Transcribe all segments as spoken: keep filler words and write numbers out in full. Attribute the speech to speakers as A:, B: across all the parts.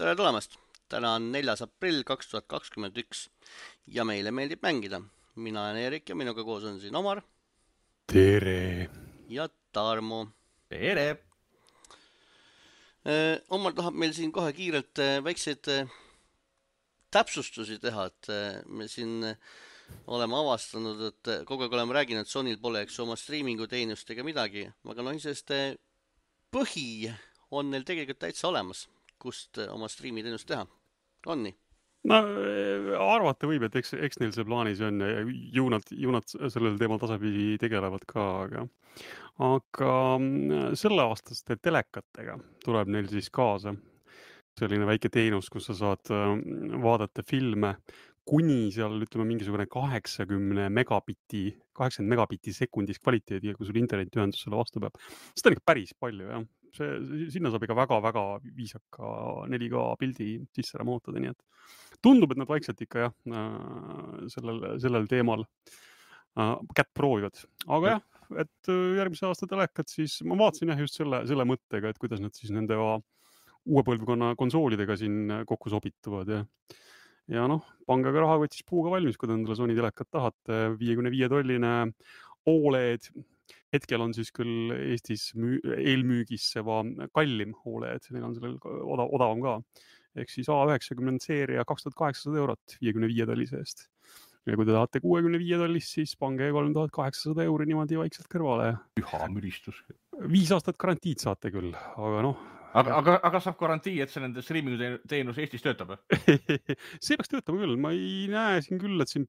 A: tere tulemast! Täna on neljas aprill kaks tuhat kakskümmend üks ja meile meeldib mängida. Mina olen Erik ja minuga koos on siin Omar.
B: Tere!
A: Ja Tarmo.
C: Tere!
A: Omar tahab meil siin kohe kiirelt väikseid täpsustusi teha, et me siin oleme avastanud, et kogu aeg oleme rääginud, et Sonyl pole eks oma streamingu teenust ega midagi, aga no sest põhi on neil tegelikult täitsa olemas, kust oma streami teenust teha. On nii?
B: No arvata võib, et eks, eks neil see plaanis on ja ju nad, ju nad sellel teemal tasapidi tegelevad ka, aga, aga selle aastaste telekatega tuleb neil siis kaasa selline väike teenus, kus sa saad vaadata filme kuni seal, ütleme, mingisugune kaheksakümmend megabitti, kaheksakümmend megabitti sekundis kvaliteediga, kui sul internetiühendus selle vastu peab. Seda on ikka päris palju, jah. See, sinna saab ikka väga-väga viisaka neli K pildi sisse ramootada, nii et tundub, et nad vaikselt ikka jah, sellel, sellel teemal kätt proovivad. Aga jah, et järgmise aasta telekad siis, ma vaatasin jah just selle, selle mõttega, et kuidas nad siis nende uue põlvkonna konsoolidega siin kokku sobituvad ja Ja noh, pange ka rahakotis puuga valmis, kui te endale Sony telekat tahate. viiekümne viie tolline O L E D. Hetkel on siis küll Eestis müü, eelmüügis see vaan kallim O L E D. Neil on sellel odav, odavam ka. Ehk siis A üheksakümmend seeria kaks tuhat kaheksasada eurot viiekümne viie tollise eest. Ja kui te tahate kuuekümne viie tollist, siis pange kolm tuhat kaheksasada euri niimoodi vaikselt kõrvale.
C: Üha müristus.
B: Viis aastat garantiid saate küll, aga noh,
C: Aga, aga, aga saab garantii, et see nende streamingu teenus Eestis töötab?
B: See peaks töötama küll. Ma ei näe siin küll, et siin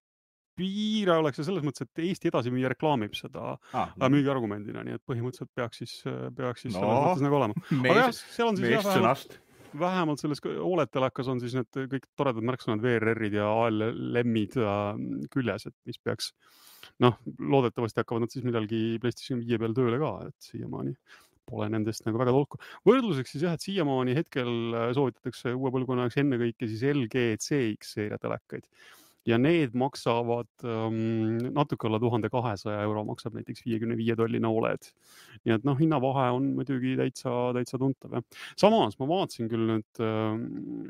B: piira oleks ja selles mõttes, et Eesti edasi müüa reklaamib seda ah, müügi argumendina, nii et põhimõtteliselt peaks siis, peaks siis no, selles mõttes nagu olema.
C: Mees,
B: aga jah, seal on siis jah,
C: vähemalt,
B: vähemalt selles O L E D-telekas on siis need kõik toredad märksõnad V R R-id ja A L L-id küljes, et mis peaks, noh, loodetavasti hakkavad nad siis midalgi PlayStation viie peal tööle ka, et siiamaani pole nendest nagu väga tolku. Võrdluseks siis jah, et siiamaani hetkel soovitatakse uue põlvkonnaks ennekõike siis L G C X seeria telekaid. Ja need maksavad um, natuke alla tuhande kahesaja euro maksab näiteks viiekümne viie tolline O L E D. Nii et noh, hinnavahe on muidugi täitsa, täitsa tuntav. Ja. Samas ma vaatasin küll nüüd,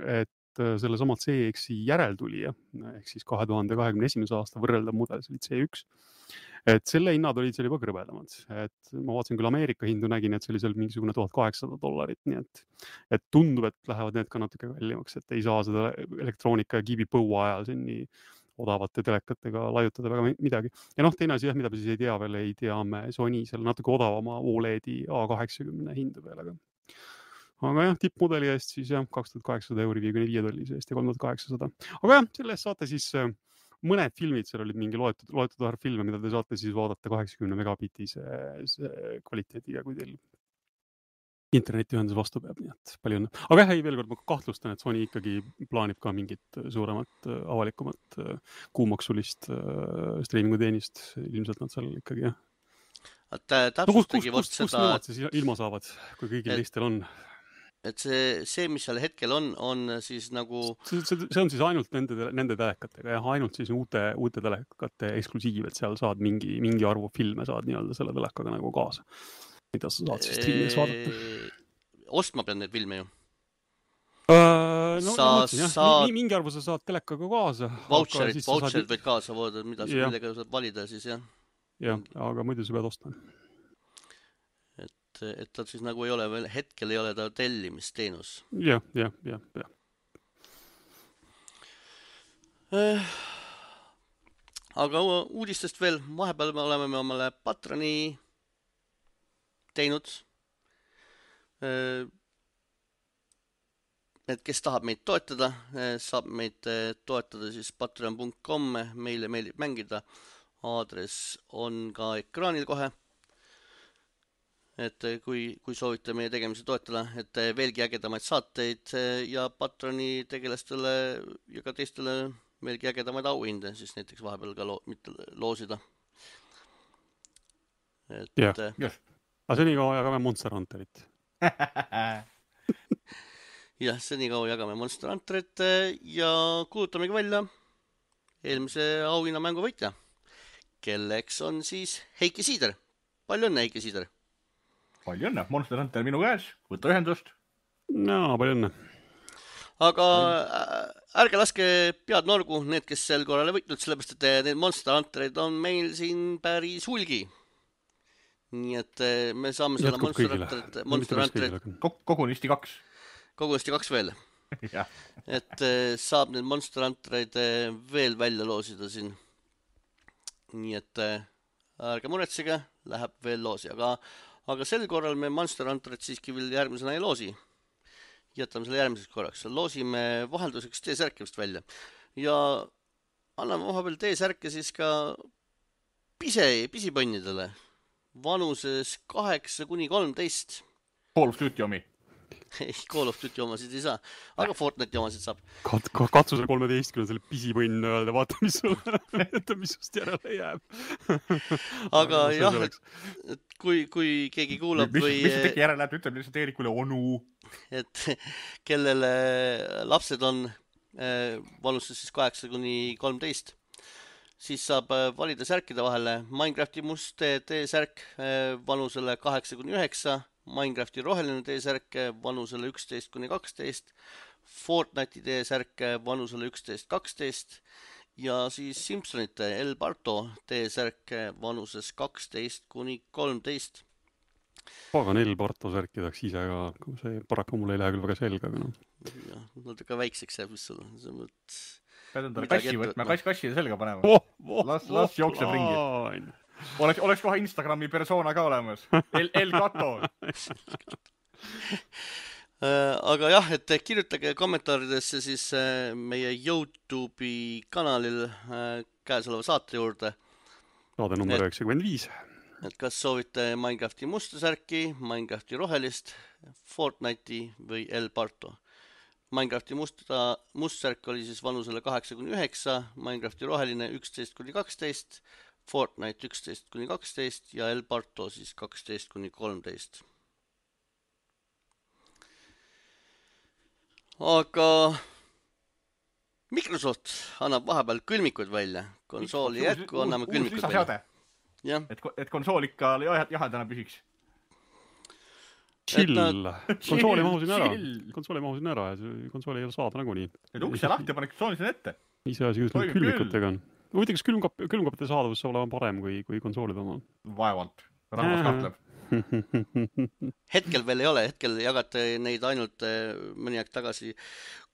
B: et selle sama C X-i järeltulija, ehk siis kahe tuhande kahekümne esimese aasta võrreldav mudel, see oli C üks. Et selle hinnad olid seal juba kõrvedamad. Et ma vaatasin küll Ameerika hindu, nägin, et see oli seal mingisugune tuhat kaheksasada dollarit, nii et, et tundub, et lähevad need ka natuke kallimaks, et ei saa seda elektroonika ja kiibi põua ajal siin nii odavate telekatega laiutada väga midagi. Ja noh, teine asi, jah, mida me siis ei tea veel, ei tea me Sony seal natuke odavama O L E D-i A kaheksakümmend hindu veel, aga aga jah, tippmudeli eest siis jah, kaks tuhat kaheksasada euri viiekümne viie tollise eest ja kolm tuhat kaheksasada. Aga jah, selle eest saate siis mõned filmid, seal olid mingi loetud, loetud arv filme, mida te saate siis vaadata kaheksakümne megabitise kvaliteediga, kui teil internetiühendus vastu peab, nii et palju õnne. Aga jah, ei, veel kord ma kahtlustan, et Sony ikkagi plaanib ka mingit suuremat, avalikumat, kuumaksulist streamingu teenist. Ilmselt nad seal ikkagi, jah.
A: Täpsustagi
B: no, kust, kust, kust nemad siis ilma saavad, kui kõigil teistel on?
A: Et see, see, mis seal hetkel on, on siis nagu...
B: See, see, see on siis ainult nende, nende telekatega ja ainult siis uute, uute telekate eksklusiiv, et seal saad mingi, mingi arvu filme saad nii-öelda selle telekaga nagu kaasa. Mida sa saad siis streamides vaadata?
A: Ostma pean need filme ju?
B: Uh, no,
A: sa
B: mõtlesin, jah,
A: saad...
B: mingi arvu sa saad telekaga kaasa.
A: Voucherid, voucherid saad... võid kaasa voodada, mida
B: ja.
A: millega saad valida siis, jah?
B: Jah, aga muidu sa pead ostma.
A: Et ta siis nagu ei ole veel, hetkel ei ole ta tellimisteenus.
B: Jah, jah, jah, jah.
A: Eh, aga uudistest veel, vahepeal me oleme me omale Patroni teinud. Eh, et kes tahab meid toetada, saab meid toetada siis patreon punkt com, meile meeldib mängida. Aadress on ka ekraanil kohe. Et kui, kui soovite meie tegemisi toetada, et veelgi ägedamaid saateid ja Patroni tegelastele ja ka teistele veelgi ägedamaid auhinde, siis näiteks vahepeal ka loo, mitte loosida.
B: Et, jah, jah. Aga senikaua jagame Monster Hunterit.
A: jah, senikaua jagame Monster Hunterit ja kuulutamegi välja eelmise auhinnamängu võitja, kelleks on siis Heiki Siider. Palju õnne, Heiki Siider!
C: Palju õnne, Monster Hunter minu käes, võtta ühendust.
B: No, palju õnne.
A: aga ärge laske pead norgu, need, kes sel korral ei võitnud, sellepärast, et need Monster Hunterid on meil siin päris hulgi. Nii et me saame selle Monster Hunterid, Monster Hunterid
C: kogunisti kaks.
A: Kogunisti kaks veel. Et saab need Monster Hunterid veel välja loosida siin. Nii et ärge muretsege, läheb veel loosi, aga, aga sel korral me Monster Hunterid siiski veel järgmisena ei loosi. Jätame selle järgmiseks korraks. Loosime vahelduseks T-särke vist välja. Ja anname vahepeal T-särke siis ka pise, pisipõnnidele. Vanuses kaheksa kuni kolmteist.
C: Call of Duty omi.
A: Ei, Call of Duty omasid ei saa, aga Fortnite'i omasid saab.
B: Kat, katsu selle kolmeteistkümne selle pisipõnn öelda, vaata, mis sul mis sust järele jääb.
A: Aga jah, et, et kui, kui keegi kuulab
C: mis,
A: või...
C: Mis see teki järele läheb, ütleb lihtsalt Eerikule onu.
A: Et kellele lapsed on vanuses siis kaheksa kuni kolmteist, siis saab valida särkide vahele Minecrafti must T-särk vanusele kaheksa kuni üheksa, Minecrafti roheline T-särk vanusele üksteist kuni kaksteist, Fortnite'i T-särk vanusele üksteist kaksteist ja siis Simpsonite El Barto T-särk vanuses kaksteist kuni kolmteist.
B: Pagan El Barto särki tahaks ise ka, see paraku mul ei lähe küll väga selga, aga noh.
A: Jah, nad ka väikseks jääb, mis sul on.
C: Pead endale kassi võtma, kass kasside selga panema.
B: Oh, oh,
C: las las oh, jookseb oh, ringi. Oleks, oleks kohe Instagrami persona ka olemas. El, El Gato.
A: Aga jah, et kirjutage kommentaaridesse siis meie YouTube'i kanalil käesoleva saate juurde.
B: Saade number üheksakümmend viis.
A: Et kas soovite Minecrafti musta särki, Minecrafti rohelist, Fortnite'i või El Barto. Minecrafti musta, must särk oli siis vanusele kaheksa kuni üheksa, Minecrafti roheline üksteist kuni kaksteist, Fortnite üksteist kuni kaksteist ja El Barto siis kaksteist kuni kolmteist. Aga Microsoft annab vahepeal külmikud välja. Konsooli jätku anname külmikud välja. Ja.
C: Et, et konsool ikka jahedana püsiks.
B: Chill. Konsooli mahusin ära. Konsooli mahusin ära ja konsooli ei ole saada nagu nii.
C: Et ukse lahti ja panek konsooli sinna ette.
B: Ise asi, kus need külmikutega on. Huvitav, kas külmkap, külmkapite saadavus saab olema parem kui, kui konsoolid omal?
C: Vaevalt. Rahvas kahtleb.
A: Hetkel veel ei ole. Hetkel jagate neid ainult mõni aeg tagasi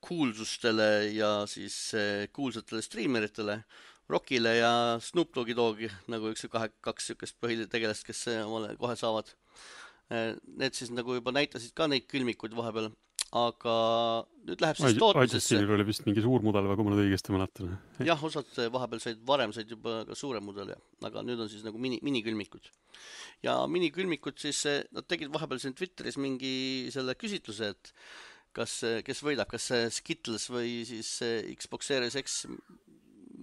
A: kuulsustele ja siis kuulsatele streameritele. Rockile ja Snoop Doggi Doggi, nagu üks kahe, kaks sükest põhitegelast, kes omale kohe saavad. Need siis nagu juba näitasid ka neid külmikuid vahepeal, aga nüüd läheb siis tootmisesse.
B: Aidžestinil oli vist mingi suur mudel, kui ma nüüd õigesti mäletan.
A: Jah, osad vahepeal said, varem said juba ka suure mudel, aga nüüd on siis nagu mini, minikülmikud. Ja minikülmikud siis, nad tegid vahepeal siin Twitteris mingi selle küsitluse, et kas, kes võidab, kas Skittles või siis Xbox Series X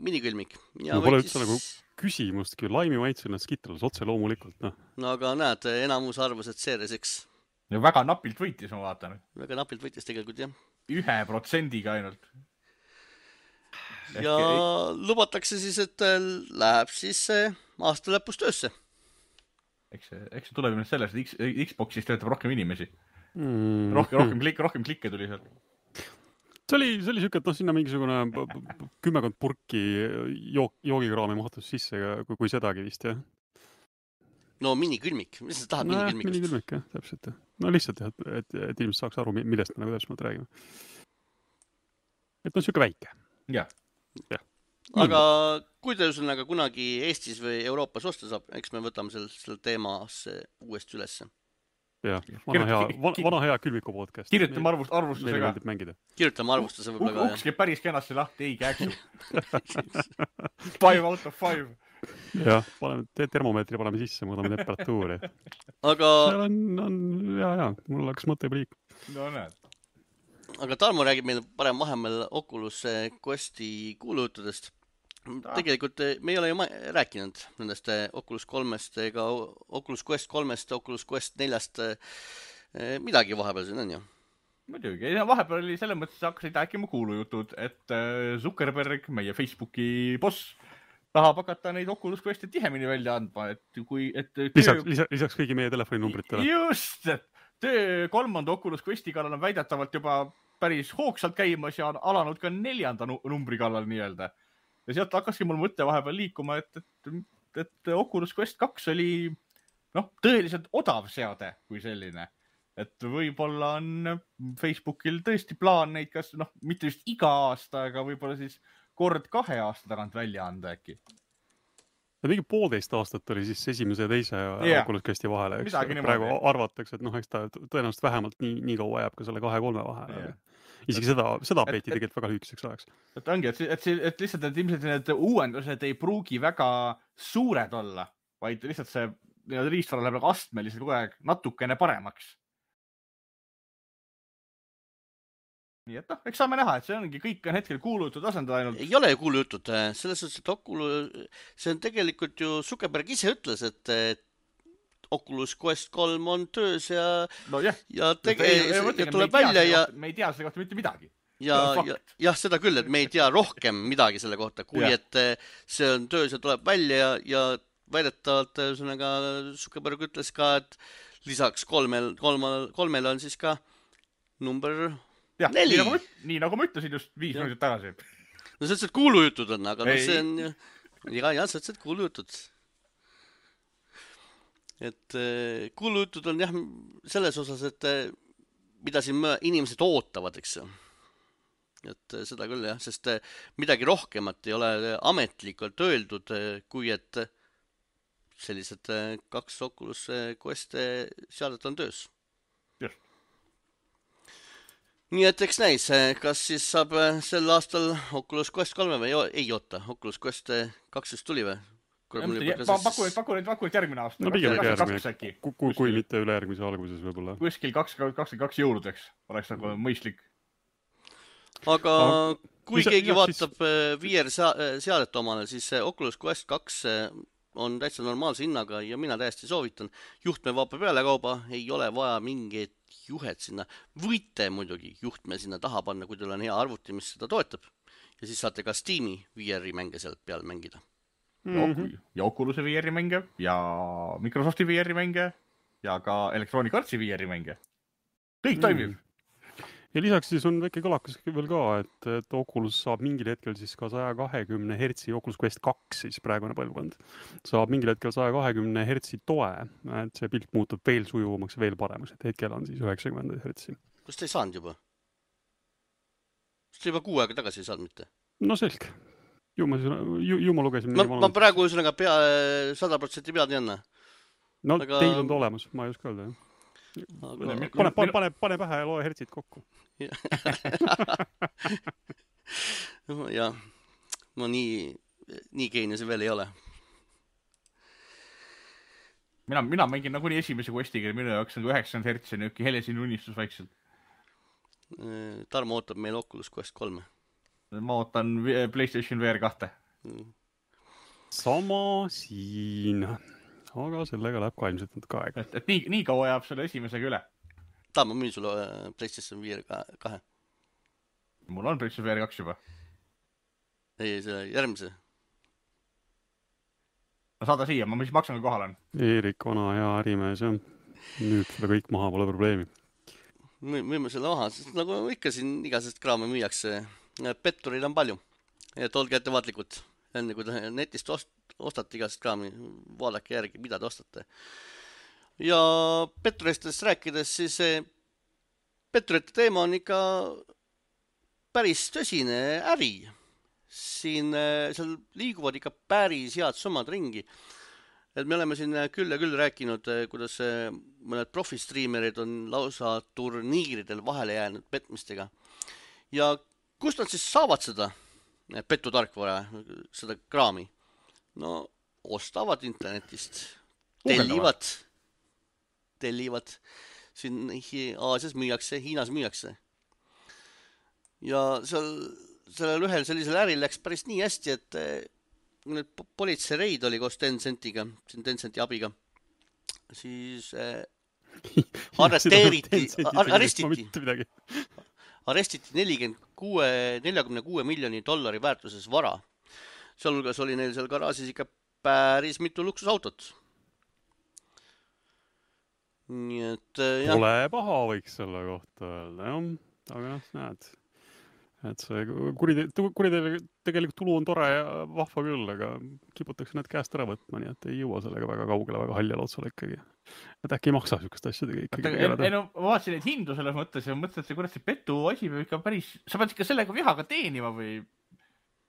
A: minikülmik. Ja
B: no pole üldse siis... nagu küsimustki, laimi maitsul nad Skittles otse loomulikult. No.
A: no aga näed, enamus arvas, et Series X.
C: Ja väga napilt võitis, ma vaatan.
A: Väga napilt võitis tegelikult, jah.
C: Ühe protsendiga ainult.
A: Ja Ehk... lubatakse siis, et läheb siis aasta lõpus töösse.
C: Eks see, eks see tuleb sellest, et X, Xboxis töötab rohkem inimesi.
B: Mm.
C: Rohkem, rohkem, klik, rohkem klikke tuli seal.
B: See oli, see oli siuke, et no sinna mingisugune kümmekond purki jook, joogikraami mahtus sisse, kui, kui sedagi vist, jah.
A: No minikülmik, mis sa tahad no, minikülmikust?
B: Minikülmik, jah, täpselt. No lihtsalt, et, et, et inimesed saaks aru, millest me nagu täpselt räägime. Et on siuke väike.
C: Jah.
B: Ja.
A: Aga kui te üsnaga kunagi Eestis või Euroopas osta saab, eks me võtame selle, selle teemasse uuesti ülesse.
B: Jah, vana hea, vana, vana hea külmiku podcast.
C: Kirjutame arvust, arvustusega.
A: Kirjutame arvustuse võib-olla ka.
C: Uks käib päris kenasti lahti, ei käeksu. Five out of five.
B: Jah, paneme termomeetri paneme sisse, mõõdame temperatuuri.
A: Aga...
B: Seal on, on jaa, jaa, mul läks mõte pliik.
C: No näed.
A: Aga Tarmo räägib meil parem vahemel Oculus Questi kuulujuttudest. Tegelikult me ei ole ju ma- rääkinud nendest Oculus kolmest ega Oculus Quest kolmest, Oculus Quest neljast midagi vahepeal siin on ju?
C: Muidugi, vahepeal oli selles mõttes hakkasid rääkima kuulujutud, et Zuckerberg, meie Facebooki boss, tahab hakata neid Oculus Questi tihemini välja andma, et kui... Et töö...
B: lisaks, lisaks, lisaks kõigi meie telefoninumbritele.
C: Just, et töö kolmanda Oculus Questi kallal on väidetavalt juba päris hoogsalt käimas ja on alanud ka neljanda numbri kallal nii-öelda. Ja sealt hakkaski mul mõte vahepeal liikuma, et, et, et Oculus Quest kaks oli noh, tõeliselt odav seade kui selline. Et võib-olla on Facebookil tõesti plaan neid kas, noh, mitte just iga aasta, aga võib-olla siis kord kahe aasta tagant välja anda äkki.
B: Ja mingi poolteist aastat oli siis esimese ja teise
C: yeah.
B: Oculus Questi vahele. Eks?
C: Midagi
B: Praegu
C: niimoodi.
B: arvatakse, et noh, eks ta tõenäoliselt vähemalt nii, nii kaua jääb ka selle kahe-kolme vahele.
C: Yeah.
B: Isegi et, seda, seda peeti et, tegelikult väga lühikeseks ajaks.
C: Et ongi, et, et, et lihtsalt et ilmselt need uuendused ei pruugi väga suured olla, vaid lihtsalt see riistvara läheb astmeliselt kogu aeg natukene paremaks. Nii et noh, eks saame näha, et see ongi, kõik on hetkel kuulujutud asendada ainult.
A: Ei ole ju kuulujutud, selles suhtes, et Oculus, see on tegelikult ju Zuckerberg ise ütles, et, et Oculus Quest kolm on töös ja,
C: no jah.
A: ja, tege, ei, ei, ja tuleb välja ja
C: me ei tea selle kohta mitte midagi.
A: Ja, ja, jah, seda küll, et me ei tea rohkem midagi selle kohta, kui ja. et see on töös ja tuleb välja ja, ja väidetavalt ühesõnaga Zuckerberg ütles ka, et lisaks kolmel, kolmel, kolmel on siis ka number
C: jah,
A: neli.
C: Nii nagu, ma, nii nagu ma ütlesin just viis minutit tagasi.
A: No see on kuulujutud on, aga no see on ja, ja see on kuulujutud. Et kuulujutud on jah selles osas, et mida siin inimesed ootavad, eks. Et seda küll jah, sest midagi rohkemat ei ole ametlikult öeldud, kui et sellised kaks Oculus Quest seadet on töös.
C: Jah.
A: Nii et eks näis, kas siis saab sel aastal Oculus Quest kolm või ei oota, Oculus Quest kaks just tuli või?
C: Paku, paku, paku, et järgmine aasta.
B: No pigem järgmine, kui, kui, kui mitte üle järgmise alguses võib-olla.
C: Kuskil kakskümmend kaks jõuludeks oleks nagu mõistlik.
A: Aga kui keegi vaatab V R seadet omale, siis Oculus Quest kaks on täitsa normaalse hinnaga ja mina täiesti soovitan. Juhtme vaapa peale kauba, ei ole vaja mingeid juhet sinna. Võite muidugi juhtme sinna taha panna, kui teil on hea arvuti, mis seda toetab. Ja siis saate ka Steam'i V R-i mänge sealt peal mängida.
C: Mm-hmm. Ja Oculus'e V R-i mänge ja Microsofti V R-i mänge ja ka Electronic Artsi V R-i mänge. Kõik toimib. Mm.
B: Ja lisaks siis on väike kõlakas veel ka, et, et Oculus saab mingil hetkel siis ka saja kahekümne hertsi Oculus Quest kaks, siis praegune põlvkond, saab mingil hetkel saja kahekümne hertsi toe, et see pilt muutub veel sujuvamaks, veel paremaks, et hetkel on siis üheksakümmend hertsi.
A: Kas te ei saanud juba? Kas te juba kuu aega tagasi ei saanud mitte?
B: No selge. Ju ma, ju, ju ma lugesin.
A: Ma, ma praegu üsõnaga pea sada protsenti pead ei anna.
B: No aga... teil on ta olemas, ma ei oska öelda, jah. Aga... Pane, pane, pane, pane pähe ja loe hertsid kokku.
A: jah, ma nii, nii geeniuse veel ei ole.
C: Mina, mina mängin nagu nii esimese Questiga, minu jaoks on üheksakümmend hertsi niuke helesin unistus vaikselt.
A: Tarmo ootab meil Oculus Quest kolm.
C: Ma ootan PlayStation V R kahte.
B: Sama siin. Aga sellega läheb ka ilmselt natuke aega.
C: Et, et nii, nii kaua jääb selle esimesega üle.
A: Ta, ma müün sulle PlayStation V R kahe.
C: Mul on PlayStation V R kaks juba.
A: Ei, see järgmise.
C: No saada siia, ma mis maksan, kui kohal on.
B: Eerik, vana hea ärimees, jah. Nüüd seda kõik maha pole probleemi.
A: Müüme selle maha, sest nagu ikka siin igasest kraame müüakse. Petturid on palju. Et olge ettevaatlikud. Enne kui te netist ost- ostate igast kraami, vaadake järgi, mida te ostate. Ja petturistest rääkides, siis petturite teema on ikka päris tõsine äri. Siin seal liiguvad ikka päris head summad ringi. Et me oleme siin küll ja küll rääkinud, kuidas mõned profistriimerid on lausa turniiridel vahele jäänud petmistega. Ja kust nad siis saavad seda pettutarkvara, seda kraami? No, ostavad internetist, tellivad, tellivad, siin Aasias müüakse, Hiinas müüakse. Ja seal, sellel ühel sellisel äril läks päris nii hästi, et nüüd politsei reid oli koos Tencentiga, siin Tencenti abiga, siis äh, arresteeriti, arrestiti, arrestiti nelikümmend kuue miljoni dollari väärtuses vara. Sealhulgas oli neil seal garaažis ikka päris mitu luksusautot. Nii et, jah.
B: Pole paha võiks selle kohta öelda, jah. aga noh, näed, et see kuride, kuride tegelikult tulu on tore ja vahva küll, aga kiputakse need käest ära võtma, nii et ei jõua sellega väga kaugele, väga haljal otsale ikkagi. Et äkki ei maksa sükast asjadega ikkagi tegeleda.
C: Ei no, ma vaatasin neid hindu selles mõttes ja mõtlesin, et see kurat see petu asi peab ikka päris, sa pead ikka sellega vihaga teenima või?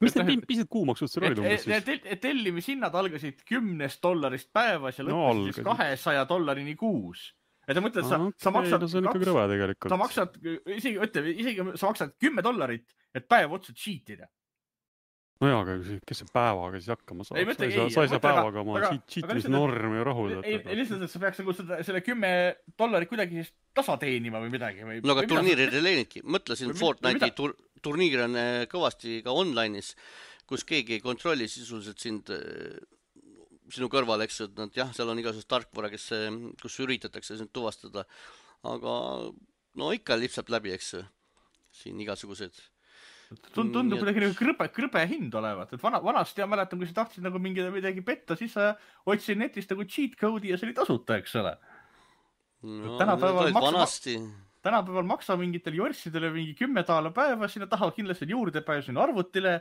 B: Mis need pised kuumaksud seal olid umbes siis?
C: Tellimishinnad algasid kümnest dollarist päevas ja lõppesid no, kahesaja dollarini kuus. Et ta mõtled, sa,
B: okay,
C: sa maksad,
B: no see on ikka krõve tegelikult.
C: Sa maksad, isegi, ütle, isegi sa maksad kümme dollarit, et päev otsa cheatida.
B: No jaa, aga kes see päevaga siis hakkama saab?
C: Ei, mõtle,
B: sa ei saa,
C: ei,
B: saa päevaga oma cheatimisnormi rahuldada.
C: Ei, ei lihtsalt, et sa peaks nagu seda, selle kümme dollarit kuidagi siis tasa teenima või midagi. Või,
A: no aga turniirid ei leenidki. Mõtlesin, Fortnite'i tur, turniir on kõvasti ka online'is, kus keegi ei kontrolli sisuliselt sind sinu kõrval, eks, et nad jah, seal on igasugust tarkvara, kes, kus üritatakse sind tuvastada, aga no ikka lipsab läbi, eks, siin igasugused.
C: Tundub kuidagi nagu krõbe, krõbe hind olevat, et vana, vanasti ja mäletan, kui sa tahtsid nagu mingi midagi petta, siis sa otsid netist nagu cheat code'i ja see oli tasuta, eks ole.
A: No,
C: tänapäeval,
A: maksa,
C: tänapäeval maksa mingitel jorssidele mingi kümme taala päeva, sinna taha kindlasti juurdepääsu sinna arvutile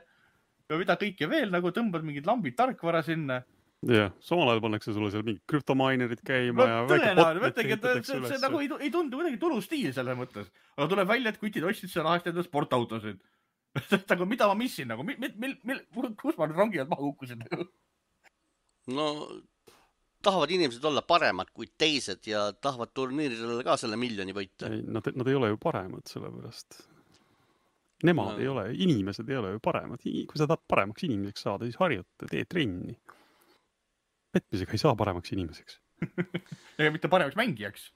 C: ja mida kõike veel, nagu tõmbad mingid lambid tarkvara sinna.
B: jah, samal ajal pannakse sulle seal mingid krüptomainerid käima
C: no,
B: ja
C: väike potnet ehitatakse üles. See nagu ei, ei tundu kuidagi tulustiil selles mõttes. Aga tuleb välja, et kutid ostsid seal ahest enda sportautosid. Aga mida ma missin? Nagu, mil, mil, mil, kus ma nüüd rongi alt maha kukkusin?
A: No, tahavad inimesed olla paremad kui teised ja tahavad turniiridele ka selle miljoni võita.
B: Ei, nad, nad ei ole ju paremad sellepärast. Nemad no. ei ole, inimesed ei ole ju paremad. Kui sa tahad paremaks inimeseks saada, siis harjuta, tee trenni. Petmisega ei saa paremaks inimeseks.
C: Ega mitte paremaks mängijaks.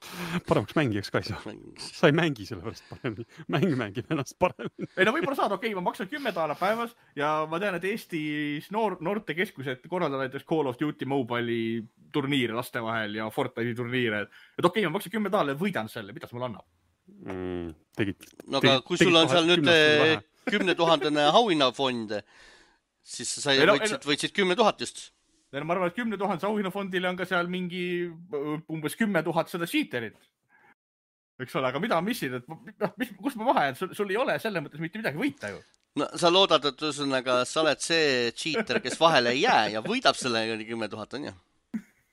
B: Paremaks mängijaks ka ei saa. Sa ei mängi sellepärast paremini. Mäng mängib ennast paremini.
C: Ei no võib-olla saad, okei, okay, ma maksan kümme taala päevas ja ma tean, et Eestis noor, noortekeskused korraldavad näiteks Call of Duty Mobile'i turniire laste vahel ja Fortnite'i turniire. Et okei, okay, ma maksan kümme taala ja võidan selle. Mida see mulle annab?
B: Mm, tegid,
A: no aga kui sul on seal nüüd kümne tuhandene auhinnafond, siis sa sai, no, võitsid, võitsid kümme tuhat just.
C: Ma arvan, et kümne tuhandese auhinnafondile on ka seal mingi umbes kümme tuhat seda cheaterit. Eks ole, aga mida ma missin? Et, mis, kus ma vahe? Sul, sul ei ole selle mõttes mitte midagi võita ju.
A: No sa loodad, et üsõnaga, sa oled see cheater, kes vahele ei jää ja võidab selle kümme tuhat, on ju?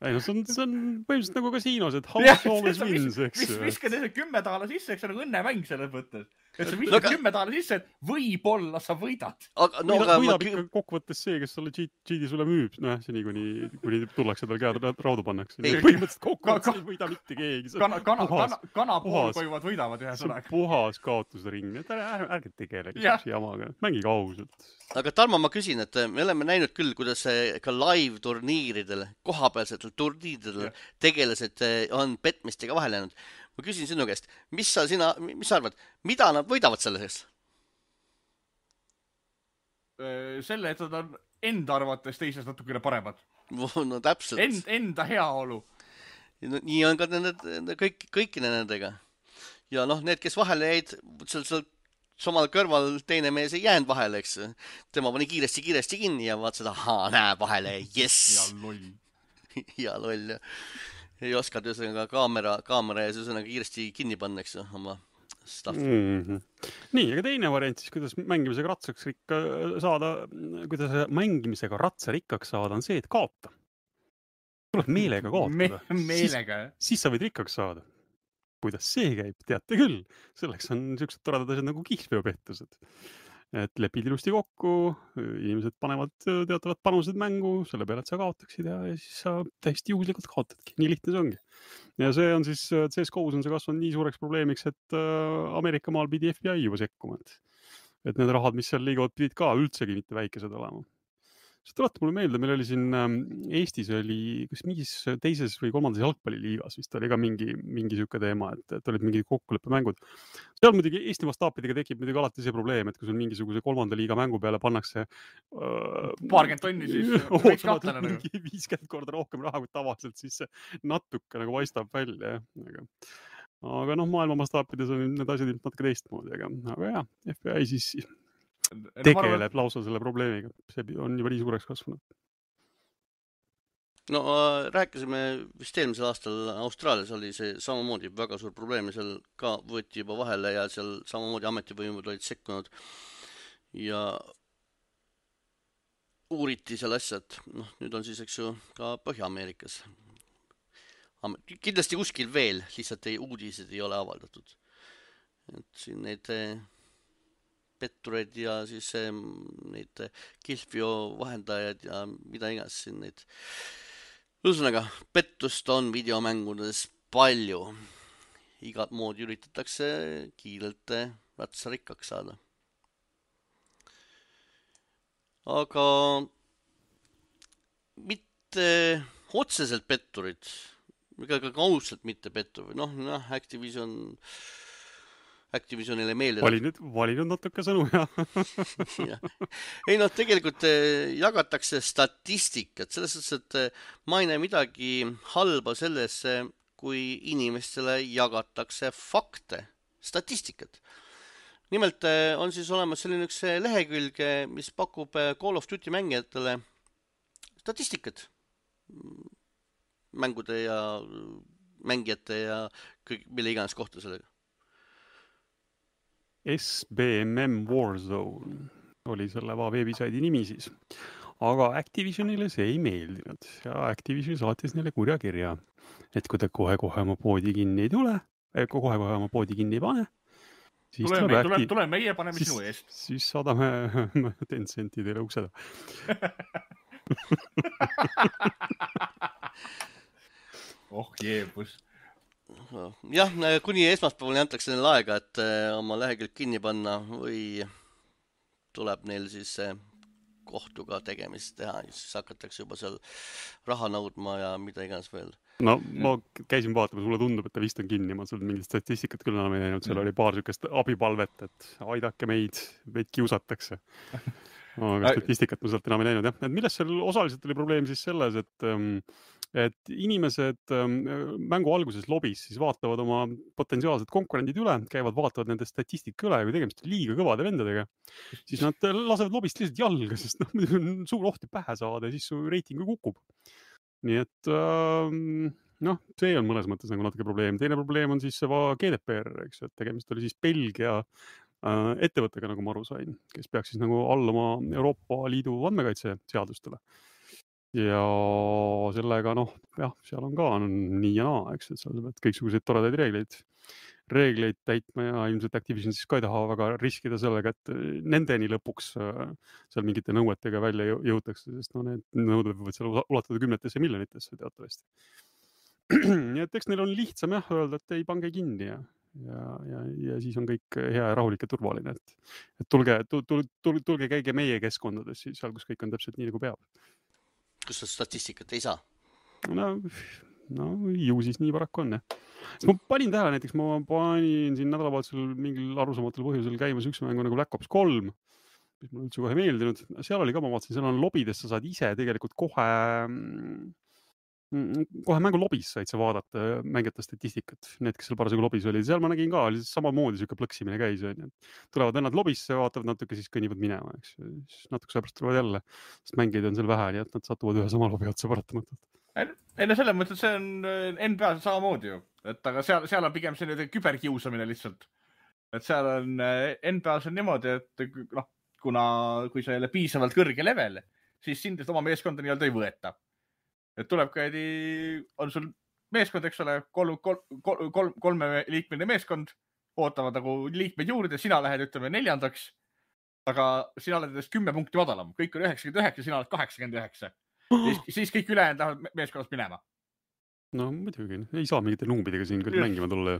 B: Ei, no see on, see on põhimõtteliselt nagu kasiinos, et house always wins, eks.
C: Mis viskad ese kümme taala sisse, eks on nagu õnnemäng selles mõttes. Et sa viskad no, kümme taala sisse, et võib-olla sa võidad.
A: Aga, no,
B: võidab
A: aga
B: võidab
A: ma...
B: ikka kokkuvõttes see, kes sulle cheat'i sulle müüb. No jah, seni, kuni, kuni tullakse tal käed raudu pannakse. Põhimõtteliselt kokkuvõttes ei võida mitte keegi.
C: Kana, kana, kana, kana pool koivad võidavad ühe sõnaga.
B: Puhas kaotusring. Ärge, ärge tegelegi jamaga. Mängige ausalt.
A: Aga Tarmo, ma küsin, et me oleme näinud küll, kuidas ka live turniiridel, kohapealsetel turniiridel ja. Tegelased on petmistega vahel jäänud. Ma küsin sinu käest, mis sa, sina, mis sa arvad, mida nad võidavad sellest?
C: Selle, et nad on enda arvates teisest natukene paremad.
A: No täpselt.
C: End, enda heaolu.
A: No, nii on ka nende, kõik, kõikine nendega. Ja noh, need, kes vahele jäid, seal, seal samal kõrval teine mees ei jäänud vahele, eks. Tema pani kiiresti, kiiresti kinni ja vaat seda, haa, näe vahele, jess.
C: Ja loll.
A: ja loll. Ei oskad üsõnaga kaamera, kaamera ja üsõnaga kiiresti kinni panna, eks oma stuff.
B: Mm-hmm. Nii, aga teine variant siis, kuidas mängimisega ratsaks rikka saada, kuidas mängimisega ratsa rikkaks saada, on see, et kaota. Tuleb meelega kaotada.
C: Me, meelega,
B: siis, siis sa võid rikkaks saada. Kuidas see käib, teate küll. Selleks on niisugused toredad asjad nagu kihlveopettused. Et lepid ilusti kokku, inimesed panevad teatavad panused mängu, selle peale, et sa kaotaksid ja siis sa täiesti juhuslikult kaotadki. Nii lihtne see ongi. Ja see on siis, C S G O's on see kasvanud nii suureks probleemiks, et Ameerika maal pidi F B I juba sekkuma. Et need rahad, mis seal liiguvad, pidid ka üldsegi mitte väikesed olema. See tuletab mulle meelde, meil oli siin Eestis oli, kas mingis teises või kolmandas jalgpalliliigas vist oli ka mingi, mingi süke teema, et, et olid mingid kokkuleppemängud. Seal muidugi Eesti vastaapidega tekib muidugi alati see probleem, et kui sul mingisuguse kolmanda liiga mängu peale pannakse
C: paarkümmend tonni siis võiks kahtlane nagu.
B: viiskümmend korda rohkem raha kui tavaliselt, siis see natuke nagu paistab välja. Aga, aga noh, maailma vastaapides on need asjad natuke teistmoodi, aga, aga jah, F B I siis tegeleb lausa selle probleemiga. See on juba nii suureks kasvanud.
A: no rääkisime vist eelmisel aastal Austraalias oli see samamoodi väga suur probleem ja seal ka võeti juba vahele ja seal samamoodi ametivõimud olid sekkunud ja uuriti seal asjad. Noh, nüüd on siis, eks ju, ka Põhja-Ameerikas. Kindlasti kuskil veel, lihtsalt ei, uudised ei ole avaldatud. Et siin neid pettureid ja siis neid Kilfio vahendajad ja mida iganes siin neid. Ühesõnaga, pettust on videomängudes palju. Igat moodi üritatakse kiirelt ratsa rikkaks saada. Aga mitte otseselt petturid, ega ka kaudselt mitte petturid. Noh, noh, Activision, Activisionile meeldib.
B: Vali nüüd, vali nüüd natuke sõnu,
A: ja. Ei, noh, tegelikult jagatakse statistikat. Selles suhtes, et ma ei näe midagi halba sellesse, kui inimestele jagatakse fakte, statistikat. Nimelt on siis olemas selline üks lehekülg, mis pakub Call of Duty mängijatele statistikat mängude ja mängijate ja kõik, mille iganes kohta sellega.
B: S B M M Warzone oli selle veebisaidi nimi siis. Aga Activisionile see ei meeldinud ja Activision saatis neile kurja kirja, et kui te kohe-kohe oma poodi kinni ei tule, kohe-kohe oma poodi kinni ei pane, siis
C: tule, me, tule, tule meie, paneme
B: siis,
C: sinu eest.
B: Siis saadame Tencenti teile ukseda.
C: oh jeebus.
A: Jah, kuni esmaspäevani antakse neile aega, et oma lehekülg kinni panna või tuleb neil siis kohtuga tegemist teha, siis hakatakse juba seal raha nõudma ja mida iganes veel.
B: No ma käisin vaatamas, mulle tundub, et ta vist on kinni, ma seal mingit statistikat küll enam ei näinud, seal oli paar sükest abipalvet, et aidake meid, meid kiusatakse. Aga statistikat ma sealt enam ei näinud, jah. Et millest seal osaliselt oli probleem siis selles, et, et inimesed mängu alguses lobis siis vaatavad oma potentsiaalsed konkurendid üle, käivad, vaatavad nende statistika üle ja kui tegemist liiga kõvade vendadega, siis nad lasevad lobist lihtsalt jalga, sest noh, on suur oht pähe saada ja siis su reiting kukub. Nii et noh, see on mõnes mõttes nagu natuke probleem. Teine probleem on siis see G D P R, eks, et tegemist oli siis Belgia ettevõttega, nagu ma aru sain, kes peaks siis nagu alluma Euroopa Liidu andmekaitse seadustele. Ja sellega, noh, jah, seal on ka on nii ja naa, eks, et seal pead kõiksuguseid toredaid reegleid, reegleid täitma ja ilmselt Activision siis ka ei taha väga riskida sellega, et nendeni lõpuks seal mingite nõuetega välja jõutakse, sest no need nõuded võivad seal ulatada kümnetesse miljonitesse teatavasti. Nii et eks neil on lihtsam jah öelda, et ei pange kinni ja, ja, ja, ja siis on kõik hea ja rahulik ja turvaline, et, et tulge, tulge, tulge, tulge käige meie keskkondades, seal kus kõik on täpselt nii, nagu peab.
A: Kus sa statistikat ei saa?
B: No, no ju siis nii paraku on, jah. Ma panin tähele näiteks, ma panin siin nädalavahetusel mingil arusaamatul põhjusel käimas üks mängu nagu Black Ops kolm, mis mulle üldse kohe meeldinud. Seal oli ka, ma vaatasin, seal on lobides, sa saad ise tegelikult kohe, kohe mängu lobis said sa vaadata mängijate statistikat. Need, kes seal parasjagu lobis oli, seal ma nägin ka, oli samamoodi siuke plõksimine käis. Tulevad vennad lobisse, vaatavad natuke, siis kõnnivad minema. Eks. Siis natuke sõbrast tulevad jälle, sest mängijaid on seal vähe, nii et nad satuvad ühe sama lobi otsa paratamatult.
C: Ei no selles mõttes, et see on N B A samamoodi ju, et aga seal, seal on pigem selline küberkiusamine lihtsalt. Et seal on N B A-s on niimoodi, et noh, kuna kui sa ei ole piisavalt kõrge level, siis sind oma meeskonda nii-öelda ei võeta. Et tuleb käidi, on sul meeskond, eks ole, kolm, kolm, kolm, kolme liikmeline meeskond, ootavad nagu liikmeid juurde, sina lähed, ütleme, neljandaks, aga sina oled endast kümme punkti madalam, kõik on üheksakümmend üheksa, sina oled kaheksakümmend üheksa. Siis, siis kõik ülejäänud lähevad meeskonnast minema.
B: No muidugi, ei saa mingite numbidega siin küll mängima tulla.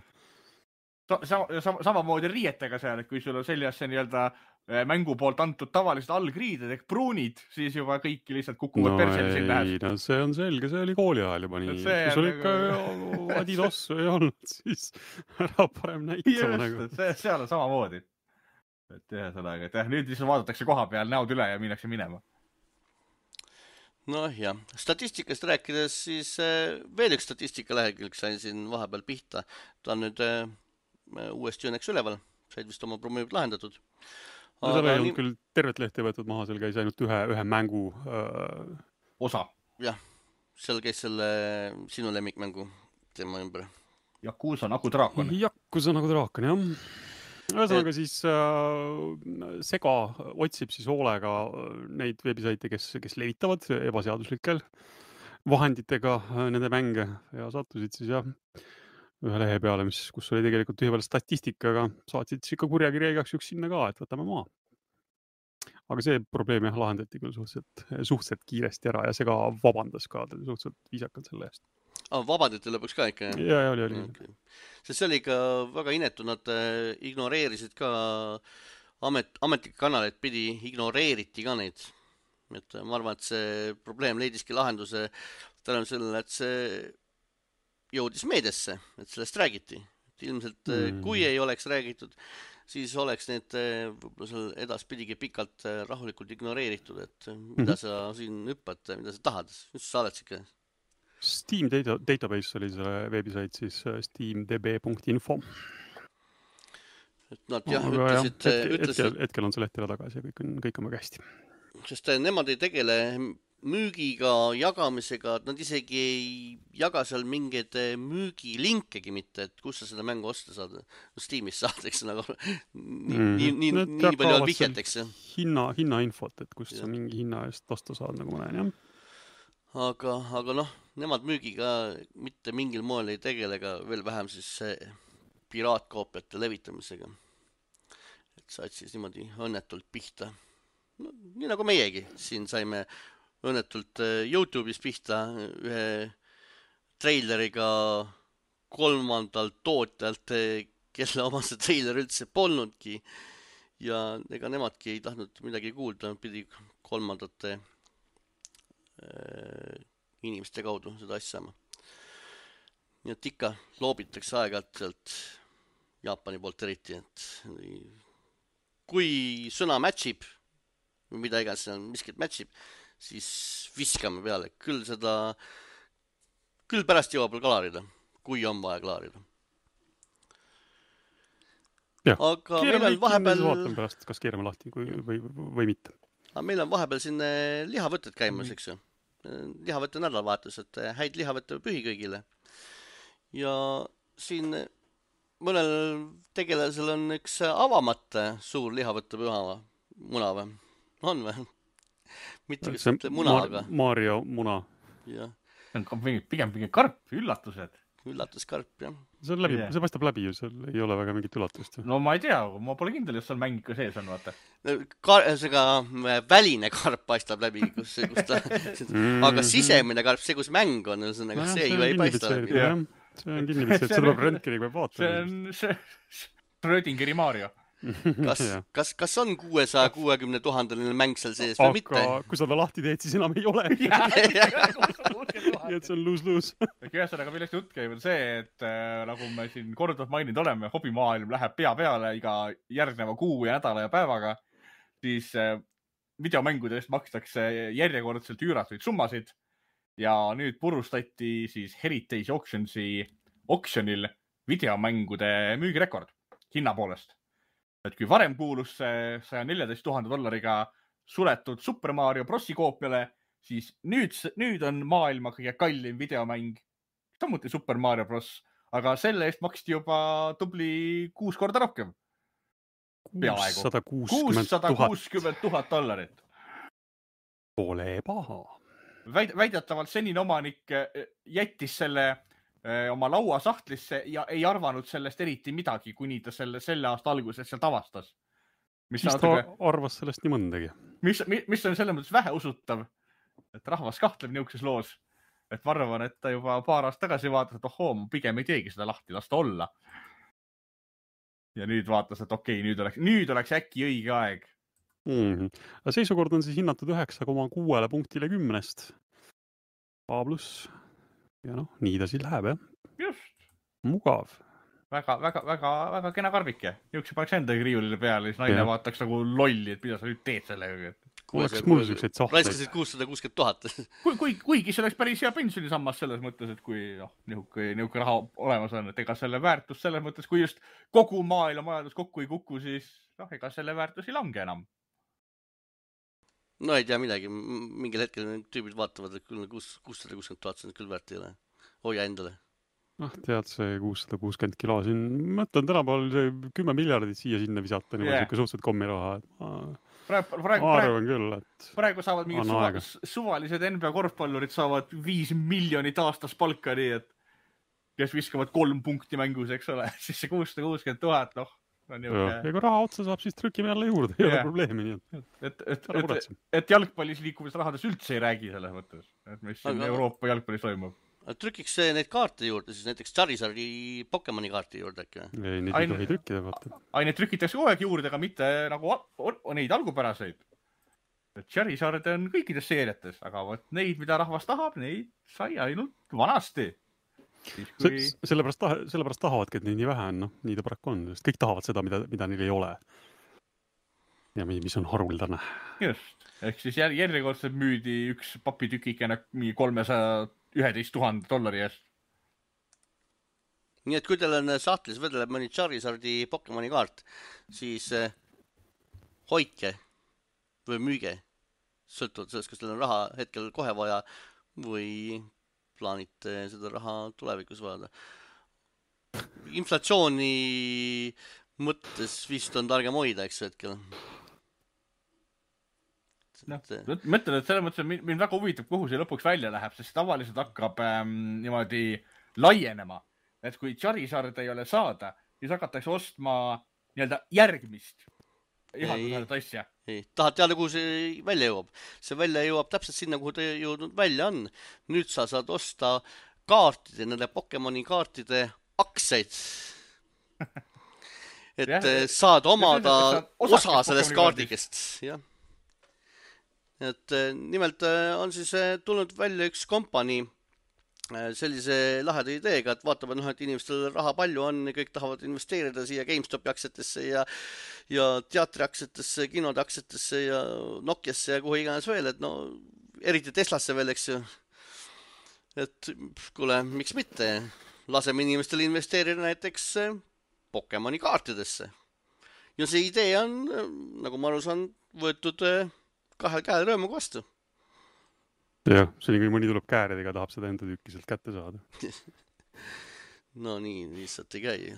C: Sama, sama, samamoodi riietega seal, et kui sul on seljasse nii-öelda mängu poolt antud tavalised allgriided ehk pruunid, siis juba kõik lihtsalt kukuvad
B: no
C: persel siin lähes.
B: No see on selge, see oli kooli ajal juba nii. Kui sul ikka Adidas ei olnud, siis ära parem näitama nagu.
C: See, seal on samamoodi. Et jah, sellega, et jah, nüüd lihtsalt vaadatakse koha peal näod üle ja minnakse minema.
A: No jah, statistikast rääkides, siis veel üks statistika lehekülg sain siin vahepeal pihta. Ta on nüüd uuesti õnneks üleval, said vist oma probleemid lahendatud.
B: No seal ei olnud küll tervet lehti võetud maha, seal käis ainult ühe, ühe mängu äh...
C: osa.
A: Jah, seal käis selle sinu lemmikmängu teema ümber.
C: Yakuza nagu draakon.
B: Yakuza nagu draakon, jah. Ühesõnaga et... siis äh, Sega otsib siis hoolega neid veebisaite, kes, kes levitavad ebaseaduslikel vahenditega nende mänge ja sattusid siis jah ühe lehe peale, mis, kus oli tegelikult tühi peale statistikaga, saatsid siis ikka kurjakirja igaks juks sinna ka, et võtame maa. Aga see probleem jah lahendati küll suhteliselt, suhteliselt kiiresti ära ja Sega vabandas ka suhteliselt viisakalt selle eest.
A: Ah, vabandati lõpuks ka ikka, jah?
B: Ja, ja, oli, oli.
A: Okay. Sest see oli ikka väga inetu, nad ignoreerisid ka amet, ametlikke kanaleid pidi, ignoreeriti ka neid. Et ma arvan, et see probleem leidiski lahenduse tänu sellele, et see jõudis meediasse, et sellest räägiti. Et ilmselt mm. kui ei oleks räägitud, siis oleks need võib-olla seal edaspidigi pikalt rahulikult ignoreeritud, et mida mm. sa siin hüppad, mida sa tahad, mis sa oled siuke?
B: Steam data, database oli see veebisait siis steamdb punkt info.
A: Et nad jah, Aga ütlesid...
B: Jah, hetkel,
A: ütlesid
B: hetkel, hetkel on see leht jälle tagasi ja kõik on, kõik on väga hästi.
A: Sest nemad ei tegele müügiga, jagamisega, nad isegi ei jaga seal mingeid müügilinkegi mitte, et kus sa seda mängu osta saad. Steamis saad, eks nagu nii, mm. nii, nii, nii, nii palju on vihjet, eks.
B: Hinna, hinna infot, et kust ja. Sa mingi hinna eest osta saad, nagu ma näen, jah.
A: Aga, aga noh, nemad müügiga mitte mingil moel ei tegele, ega veel vähem siis piraatkoopiate levitamisega. Et said siis niimoodi õnnetult pihta. No, nii nagu meiegi. Siin saime õnnetult YouTube'is pihta ühe treileriga kolmandalt tootjalt, kelle oma see treiler üldse polnudki. Ja ega nemadki ei tahtnud midagi kuulda, pidi kolmandate inimeste kaudu seda asjama. Nii et ikka loobitakse aeg-ajalt sealt Jaapani poolt eriti, et kui sõna matchib või mida iganes seal miskit matchib, siis viskame peale. Küll seda, küll pärast jõuab veel klaarida, kui on vaja klaarida.
B: Ja,
A: aga meil on vahepeal...
B: Vaatame pärast, kas keerame lahti kui, või, või mitte.
A: Aga meil on vahepeal siin lihavõtted käimas, eks ju. Lihavõtte nädalavahetus, et häid lihavõtte pühi kõigile. Ja siin mõnel tegelasel on üks avamata suur lihavõtte püha muna või? On või? Mitte kus ütle muna,
B: Mar
A: aga...
B: Mario muna.
A: Ja.
C: See on pigem pigem karp, üllatused.
A: Üllatuskarp, jah.
B: See, läbi, yeah. see paistab läbi ju, seal ei ole väga mingit üllatust.
C: No ma ei tea, ma pole kindel, jos seal mäng ikka sees on, vaata.
A: Kar seega väline karp paistab läbi, kus, kus ta... aga sisemine karp, see kus mäng on, ühesõnaga, see ju ei paista läbi.
B: Jah, see on kinni vitsi, et seda peab röntgeniga peab vaatama.
C: See on see Schrödingeri Mario.
A: Kas, kas, kas on kuuesaja kuuekümne tuhandeline mäng seal sees või mitte?
B: Aga kui sa ta lahti teed, siis enam ei ole. Nii et see on luus-luus.
C: Ühesõnaga, millest jutt käib on see, et äh, nagu me siin korduvalt maininud oleme, hobimaailm läheb pea peale iga järgneva kuu ja nädala ja päevaga, siis äh, videomängudest makstakse järjekordselt üüratuid summasid ja nüüd purustati siis Heritage Auctionsi auctionil videomängude müügirekord hinna poolest. Et kui varem kuulus see saja neljateist tuhande dollariga suletud Super Mario Brosi koopiale, siis nüüd, nüüd on maailma kõige kallim videomäng, samuti Super Mario Bros. Aga selle eest maksti juba tubli kuus korda rohkem.
B: kuussada kuuskümmend tuhat
C: dollarit.
B: Pole paha.
C: Väid, väidetavalt senine omanik jättis selle oma laua sahtlisse ja ei arvanud sellest eriti midagi, kuni ta selle, selle aasta alguses sealt avastas.
B: Mis ta natuke, arvas sellest nii mõndagi.
C: Mis, mis on selles mõttes vähe usutav, et rahvas kahtleb niisuguses loos. Et ma arvan, et ta juba paar aasta tagasi vaatas, et ohoo, ma pigem ei teegi seda lahti, las ta olla. Ja nüüd vaatas, et okei, nüüd oleks, nüüd oleks äkki õige aeg.
B: Mm-hmm. Seisukord on siis hinnatud üheksa koma kuus punktile kümnest. A pluss. Ja noh, nii ta siis läheb, jah.
C: Just.
B: Mugav.
C: Väga, väga, väga, väga kena karbike. Jõuks paneks endagi riiulile peale, siis naine ja. Vaataks nagu lolli, et mida sa nüüd teed sellega.
B: Oleks mul selliseid sahtleid.
A: Raiskasid kuussada kuuskümmend tuhat.
C: Kui, kui, kuigi see oleks päris hea pensionisammas selles mõttes, et kui noh, nihuke, nihuke raha olemas on, et ega selle väärtus selles mõttes, kui just kogu maailma majandus kokku ei kuku, siis noh, ega selle väärtus ei lange enam.
A: no ei tea midagi, mingil hetkel tüübid vaatavad, et küll kuussada kuuskümmend tuhat on küll väärt ei ole. Hoia endale.
B: noh, tead, see kuussada kuuskümmend kilo siin, mõtlen tänapäeval see kümme miljardit siia sinna visata, niimoodi yeah. siuke suhteliselt kommiraha. Ma,
C: praegu, praegu,
B: ma arvan küll, et
C: praegu saavad mingid suva, suvalised N B A korvpallurid saavad viis miljonit aastas palka, nii et kes viskavad kolm punkti mängus, eks ole, siis see kuussada kuuskümmend tuhat, noh.
B: Ja, ja kui raha otsa saab, siis trükime jälle juurde, ei yeah. ole probleemi. Nii et,
C: et, et, et, et jalgpallis liikumise rahades üldse ei räägi selles mõttes, et mis siin aga, Euroopa jalgpallis toimub.
A: Trükiks neid kaarte juurde, siis näiteks Charizardi Pokemoni kaarti juurde äkki?
B: ei, neid ei tohi trükkida. Vaata.
C: Ai, neid trükitakse kogu aeg juurde, aga mitte nagu neid algupäraseid. Charizard on kõikides seeriates, aga võt neid, mida rahvas tahab, neid sai ainult vanasti.
B: Kui... Se, sellepärast, taha, sellepärast tahavadki, et neid nii vähe on, noh, nii ta paraku on, sest kõik tahavad seda, mida, mida neil ei ole. Ja mis on haruldane.
C: Just, ehk siis järjekordselt müüdi üks papitükikene mingi kolmesaja üheteist tuhande dollari eest.
A: Nii et kui teil on sahtlis vedeleb mõni Charizardi Pokemoni kaart, siis eh, hoidke või müüge. Sõltuvalt sellest, kas teil on raha hetkel kohe vaja või plaanite seda raha tulevikus vajada. Inflatsiooni mõttes vist on targem hoida, eks hetkel.
C: No, mõtlen, et selles mõttes mind väga huvitab, kuhu see lõpuks välja läheb, sest tavaliselt hakkab ähm, niimoodi laienema. Et kui Charizard ei ole saada, siis hakatakse ostma nii-öelda järgmist ihaldusarat asja.
A: Ei. Tahad teada, kuhu see välja jõuab? See välja jõuab täpselt sinna, kuhu ta jõudnud välja on. Nüüd sa saad osta kaartide, nende Pokemoni kaartide aktsiaid. Et ja, saad omada ja, osa sellest kaardikest. Jah. Et nimelt on siis tulnud välja üks kompanii sellise laheda ideega, et vaatavad, noh, et inimestel raha palju on ja kõik tahavad investeerida siia GameStopi aktsiatesse ja, ja teatri aktsiatesse, kinode aktsiatesse ja Nokiasse ja kuhu iganes veel, et no eriti Teslasse veel, eks ju. Et kuule, miks mitte? Laseme inimestel investeerida näiteks Pokemoni kaartidesse. Ja see idee on, nagu ma aru saan, võetud kahel käel rõõmuga vastu.
B: Jah, see on, kui mõni tuleb kääredega, tahab seda enda tükki sealt kätte saada.
A: No nii, lihtsalt ei käi.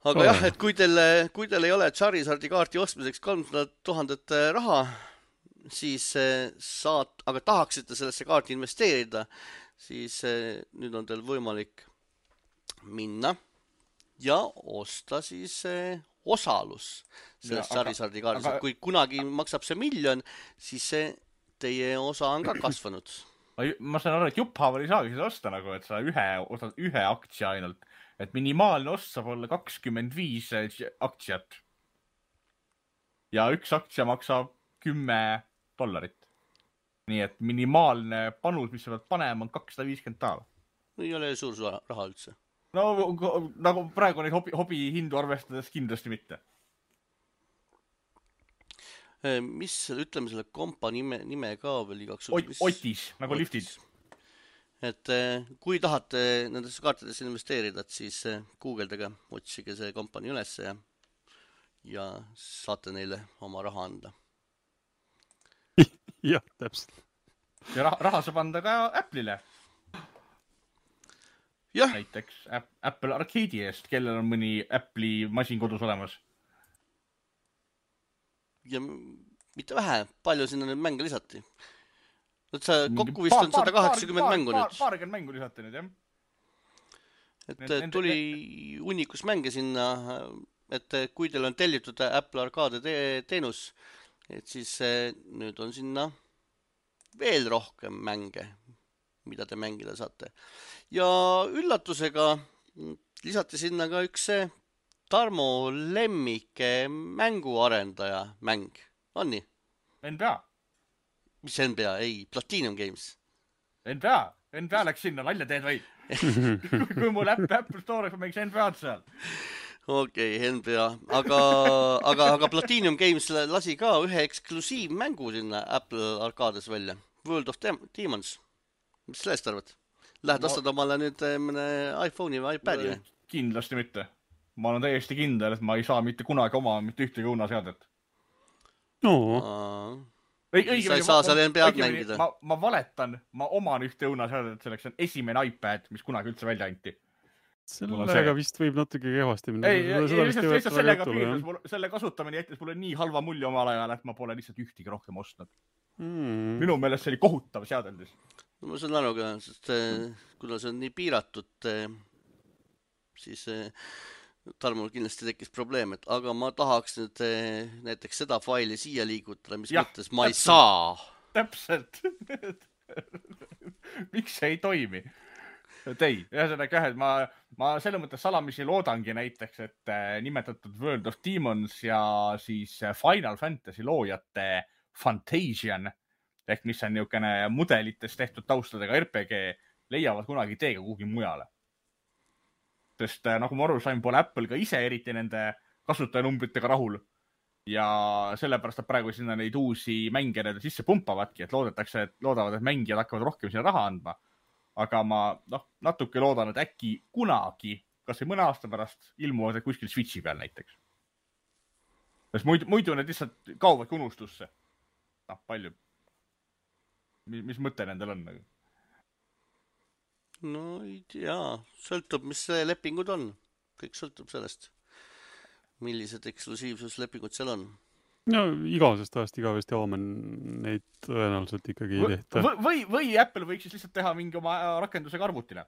A: Aga oh, jah, et kui teil, kui teil ei ole Charizardi kaarti ostmiseks kolmsada tuhat raha, siis saad, aga tahaksite sellesse kaarti investeerida, siis nüüd on teil võimalik minna ja osta siis osalus sellest ja, Charizardi kaardist. Aga... Kui kunagi maksab see miljon, siis see teie osa on ka kasvanud.
C: Ma saan aru, et jupphaaval ei saagi seda osta nagu, et sa ühe, ostad ühe aktsia ainult. Et minimaalne ost saab olla kakskümmend viis aktsiat. Ja üks aktsia maksab kümme dollarit. Nii et minimaalne panus, mis sa pead panema, on kakssada viiskümmend taala.
A: Ei ole suur raha üldse.
C: No nagu praegu neid hobi, hobi hindu arvestades kindlasti mitte.
A: Mis, ütleme selle kompa nime, nime ka veel igaks
C: Ot, Otis, nagu Otis. Liftid.
A: Et kui tahate nendesse kaartidesse investeerida, siis guugeldage, otsige see kompani üles ja, ja saate neile oma raha anda.
B: Jah, täpselt.
C: Ja raha, raha saab anda ka Apple'ile.
A: Jah.
C: Näiteks Apple Arcade'i eest, kellel on mõni Apple'i masin kodus olemas.
A: Ja mitte vähe, palju sinna nüüd mänge lisati. Et sa kokku vist on sada kaheksakümmend mängu nüüd.
C: Paarkümmend mängu lisati nüüd, jah.
A: Et need, tuli need... unikus mänge sinna, et kui teil on tellitud Apple Arcade te teenus, et siis nüüd on sinna veel rohkem mänge, mida te mängida saate. Ja üllatusega lisati sinna ka üks see Tarmo lemmike mänguarendaja mäng. On nii?
C: N B A.
A: Mis N B A? Ei, Platinum Games.
C: N B A. N B A läks sinna, nalja teed või? kui mul Apple Store'is mängiks N B A-d seal.
A: Okei, okay, N B A. Aga, aga, aga Platinum Games lasi ka ühe eksklusiivmängu sinna Apple Arcade'is välja. World of Demons. Mis sellest arvad? Lähed no, ostad omale nüüd mõne iPhone'i või iPad'i?
C: Kindlasti mitte. Ma olen täiesti kindel, et ma ei saa mitte kunagi oma mitte ühtegi õunaseadet.
B: no.
A: Õi, sa ei saa seal N B A-d mängida.
C: Ma, ma valetan, ma oman ühte õunaseadet, selleks on esimene iPad, mis kunagi üldse välja anti.
B: Sellega vist võib natuke kehvasti minna.
C: Ei, lihtsalt sellega piirdas, selle kasutamine jättis mulle nii halva mulje omal ajal, et ma pole lihtsalt ühtigi rohkem ostnud. Mm. Minu meelest see oli kohutav seadeldis.
A: No, ma saan aru ka, sest kuna see on nii piiratud, siis Tarmul kindlasti tekkis probleem, et aga ma tahaks nüüd näiteks seda faili siia liigutada, mis ja, mõttes ma täpselt, ei saa.
C: Täpselt. Miks see ei toimi? Ei, ühesõnaga jah, et ma, ma selle mõttes salamisi loodangi näiteks, et nimetatud World of Demons ja siis Final Fantasy loojate Fantasian, ehk mis on niisugune mudelitest tehtud taustadega R P G, leiavad kunagi teega kuhugi mujale. Sest nagu ma aru sain, pole Apple ka ise eriti nende kasutajanumbritega rahul ja sellepärast, et praegu sinna neid uusi mänge sisse pumpavadki, et loodetakse, et loodavad, et mängijad hakkavad rohkem sinna raha andma. Aga ma noh, natuke loodan, et äkki kunagi, kas või mõne aasta pärast, ilmuvad kuskil Switchi peal näiteks. Sest muidu, muidu need lihtsalt kauvadki unustusse. Noh, palju. Mis, mis mõte nendel on?
A: No ei tea, sõltub, mis lepingud on. Kõik sõltub sellest, millised eksklusiivsuslepingud seal on.
B: No igavesest ajast igavesti aamen neid tõenäoliselt ikkagi ei tehta.
C: Või, või, või Apple võiks siis lihtsalt teha mingi oma rakendusega arvutile.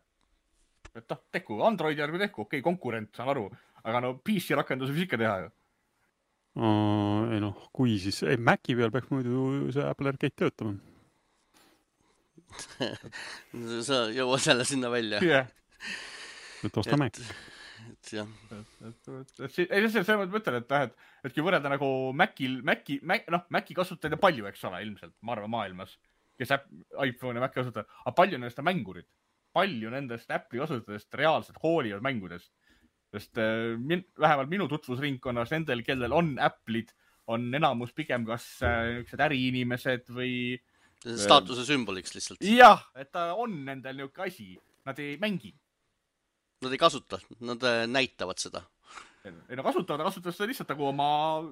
C: Et noh, teku, Androidi järgi teku, okei, konkurent, saan aru, aga no P C rakenduse võiks ikka teha ju.
B: Uh, ei noh, kui siis, ei, Maci peal peaks muidu see Apple Arcade töötama.
A: Sa jõuad jälle sinna välja.
C: Yeah.
B: Et osta Mac.
A: Et jah.
C: Ei, see on mõtlen, et, et, et kui võrrelda nagu Macil, Maci, Mac, noh, Maci kasutajaid on palju, eks ole, ilmselt, ma arvan, maailmas, kes iPhone ja Maci kasutajad, aga palju nendest on mängurid. Palju nendest Apple'i kasutajatest reaalselt hoolivad mängudest. Sest äh, min, vähemalt minu tutvusringkonnas nendel, kellel on Apple'id, on enamus pigem kas äh, äriinimesed või...
A: Staatuse sümboliks lihtsalt.
C: Jah, et ta on nendel niisugune asi. Nad ei mängi.
A: Nad ei kasuta, nad näitavad seda.
C: Ei no kasutavad, kasutavad seda lihtsalt nagu oma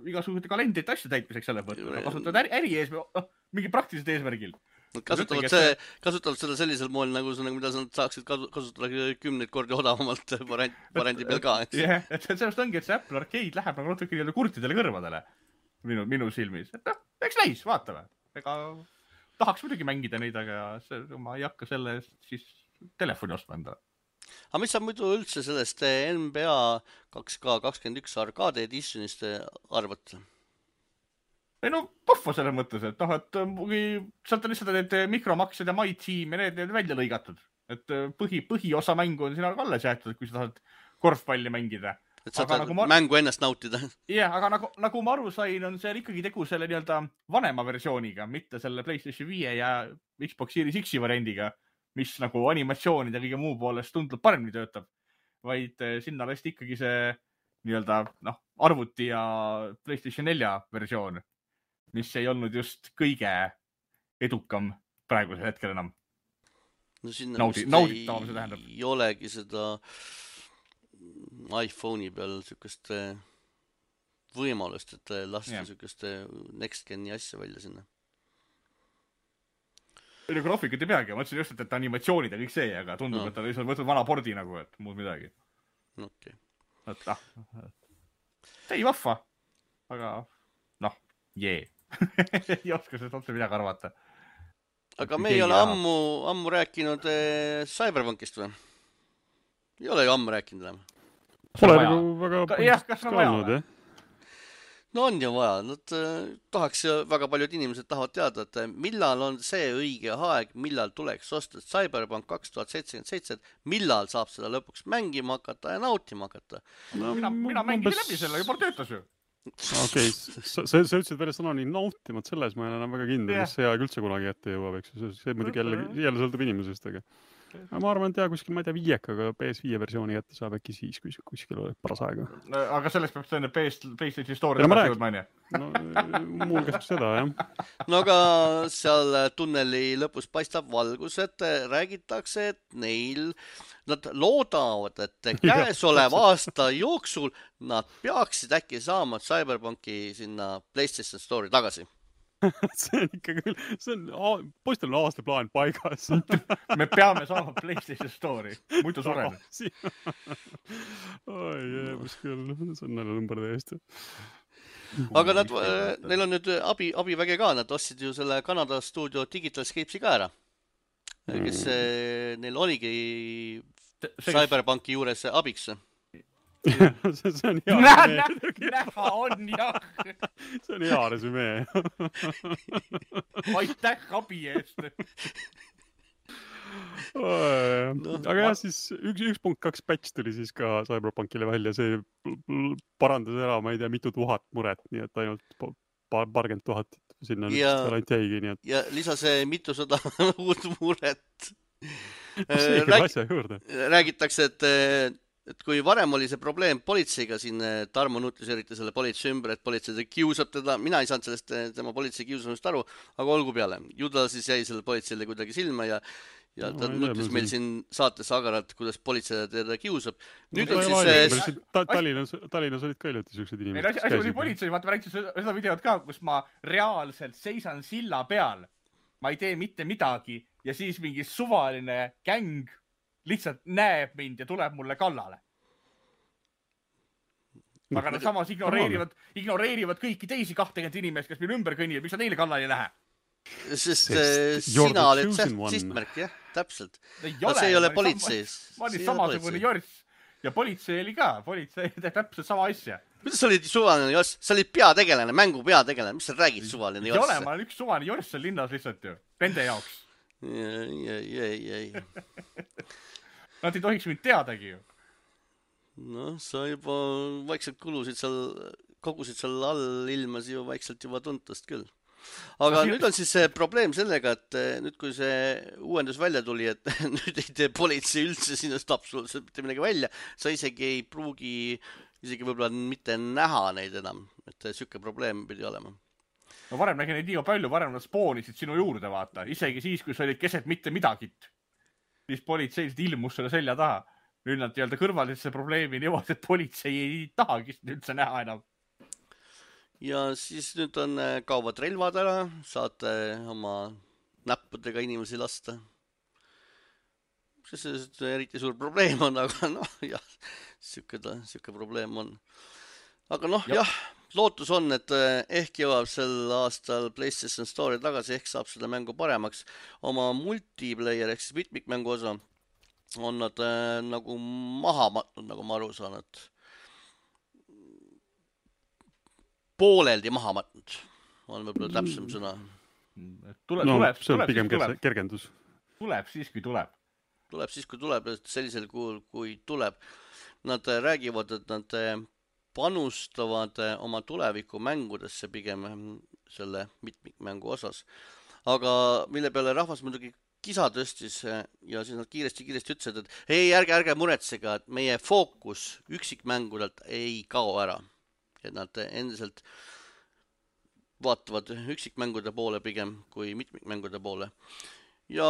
C: igasugused kalendrit asju täitmiseks selle võtta. Nad kasutavad äri, äri eesmärgil, noh, mingi praktilised eesmärgil.
A: Nad kasutavad, see, see... kasutavad seda sellisel moel, nagu, nagu mida nad saaksid kasutada kümneid kordi odavamalt variandi peal ka.
C: Jah, et sellest ongi, et see Apple Arcade läheb nagu natuke kurtidele kõrvadele minu, minu silmis. Et noh, eks näis, vaatame. Ega tahaks muidugi mängida neid, aga see, ma ei hakka selle siis telefoni ostma endale.
A: Aga mis sa muidu üldse sellest N B A kaks K kakskümmend üks arcade editionist arvad?
C: Ei no, pohva selles mõttes, et noh, et sealt on lihtsalt need mikromaksed ja My Team ja need, need välja lõigatud. Et põhi, põhiosa mängu on sina alles jäetud, kui sa tahad korvpalli mängida.
A: Et sa tahad nagu ma... mängu ennast nautida.
C: Jah, aga nagu, nagu ma aru sain, on see ikkagi tegu selle nii-öelda vanema versiooniga, mitte selle PlayStation viie ja Xbox Series X-i variandiga, mis nagu animatsioonide kõige muu poolest tundub paremini töötab, vaid sinna lasti ikkagi see nii-öelda noh, arvuti ja PlayStation nelja versioon, mis ei olnud just kõige edukam praegusel hetkel enam.
A: No sinna
C: Naudi, nauditavam see tähendab.
A: Ei olegi seda iPhone'i peal sükest võimalust, et lasta yeah. sükest next gen'i asja välja sinna.
C: Ei, graafikat ei peagi, ma mõtlesin just, et animatsioonid ja kõik see, aga tundub, no. et ta lihtsalt võtnud vana pordi nagu, et muud midagi.
A: Okei.
C: Okay. Et ah, ei vahva, aga noh, jee. ei oska sellest otse midagi arvata.
A: Aga me ei ole ammu, ammu rääkinud eh, Cyberpunkist või? Ei ole ju ammu rääkinud enam.
B: Pole nagu väga...
C: Ka, jah, kas on vaja või?
A: No on ju vaja. Nad äh, tahaks, väga paljud inimesed tahavad teada, et millal on see õige aeg, millal tuleks osta Cyberpunk kaks tuhat seitsekümmend seitse, millal saab seda lõpuks mängima hakata ja nautima hakata.
C: No, mina mina mängin läbi selle, juba töötas ju.
B: Okei, okay. sa, sa ütlesid veel sõna nii nautimad selles, ma ei enam väga kindel, yeah. mis see aeg üldse kunagi ette jõuab, eks see, see muidugi jälle, jälle sõltub inimesest, aga ma arvan, et jah, kuskil, ma ei tea, viiekaga P S viie versiooni ette saab äkki siis, kui kuskil oleks paras aega.
C: No, aga selleks peab tõenäoliselt P S PlayStation Store'i no, jõudma, on ju?
B: No, muul käsib seda, jah.
A: No aga seal tunneli lõpus paistab valgus, et räägitakse, et neil nad loodavad, et käesoleva aasta jooksul nad peaksid äkki saama Cyberpunki sinna PlayStation Store'i tagasi.
B: see on ikka küll, see on, poistel on aastaplaan paigas.
C: Me peame saama PlayStation Store'i, muidu sureme.
B: Oi, jeebus küll, see on näle number täiesti.
A: Aga nad, neil on nüüd abi, abiväge ka, nad ostsid ju selle Kanada stuudio Digital Escapes'i ka ära. Kes neil oligi Cyberpunki juures abiks.
B: see, see on hea
C: Nä, nä, näha on jah.
B: see on hea resümee.
C: Aitäh abi eest.
B: No, aga jah, siis üks, üks punkt kaks patch tuli siis ka Cyberpunkile välja, see parandas ära, ma ei tea, mitu tuhat muret, nii et ainult paar, parkümmend tuhat sinna ja, nüüd ainult jäigi, nii et...
A: Ja lisas mitusada uut muret.
B: Rääg... asja juurde.
A: Räägitakse, et et kui varem oli see probleem politseiga, siin Tarmo Nutis eriti selle politsei ümber, et politsei kiusab teda, mina ei saanud sellest tema politsei kiusamist aru, aga olgu peale. Ju ta siis jäi selle politseile kuidagi silma ja, ja ta no, nutis meil siin saates agaralt, kuidas politsei teda kiusab. Nüüd
B: no,
A: on siis...
B: Ta, Tallinnas, Tallinnas olid ka ilmselt sellised inimesed.
C: Asi oli politsei, vaata ma rääkisin seda videot ka, kus ma reaalselt seisan silla peal. Ma ei tee mitte midagi ja siis mingi suvaline gäng lihtsalt näeb mind ja tuleb mulle kallale. Aga nad samas ignoreerivad, ignoreerivad kõiki teisi kahtekümmend inimest, kes meil ümber kõnnivad, miks nad neile kallale ei lähe.
A: Sest, Sest sina oled sihtmärk, jah, täpselt.
C: Ei
A: no,
C: ole,
A: see ei ole politseis.
C: Ma olin samasugune jorss ja politsei oli ka. Politsei teeb täpselt sama asja.
A: Kuidas sa olid suvaline jorss? Sa olid peategelane, mängu peategelane. Mis sa räägid suvaline jorss?
C: Ei ole, ma olen üks suvaline jorss seal linnas lihtsalt ju. Nende jaoks.
A: Ei, ei, ei, ei.
C: Nad ei tohiks mind teadagi ju.
A: No, sa juba vaikselt kulusid seal, kogusid seal all ilmas ju vaikselt juba tuntast küll. Aga no, nüüd on siis see probleem sellega, et nüüd kui see uuendus välja tuli, et nüüd ei tee politsei üldse sinust absoluutselt mitte midagi välja, sa isegi ei pruugi, isegi võib-olla mitte näha neid enam, et sükke probleem pidi olema.
C: No varem nägi neid nii palju, varem nad spoonisid sinu juurde, vaata. Isegi siis, kui sa olid keset mitte midagit. Siis politseiliselt ilmus selle selja taha. Nüüd nad öelda kõrvaliselt see probleemi niimoodi, et politsei ei tahagi üldse näha enam.
A: Ja siis nüüd on kaovad relvad ära, saate oma näppudega inimesi lasta. See see eriti suur probleem on, aga noh, jah, sükke, sükke probleem on. Aga noh, jah, jah, lootus on, et ehk jõuab sel aastal PlayStation Store'i tagasi, ehk saab seda mängu paremaks. Oma multiplayer, ehk siis mitmikmängu osa on nad äh, nagu maha matnud, nagu ma aru saan, et pooleldi maha matnud. On võib-olla täpsem sõna.
C: Tule,
B: no,
C: tuleb,
B: see on
C: tuleb,
B: pigem
C: tuleb.
B: kergendus.
C: Tuleb siis, kui tuleb.
A: Tuleb siis, kui tuleb, sellisel kuul, kui tuleb. Nad räägivad, et nad panustavad oma tuleviku mängudesse pigem selle mitmikmängu osas. Aga mille peale rahvas muidugi kisa tõstis ja siis nad kiiresti-kiiresti ütlesid, et ei, ärge, ärge muretsega, et meie fookus üksikmängudelt ei kao ära. Et nad endiselt vaatavad üksikmängude poole pigem kui mitmikmängude poole. Ja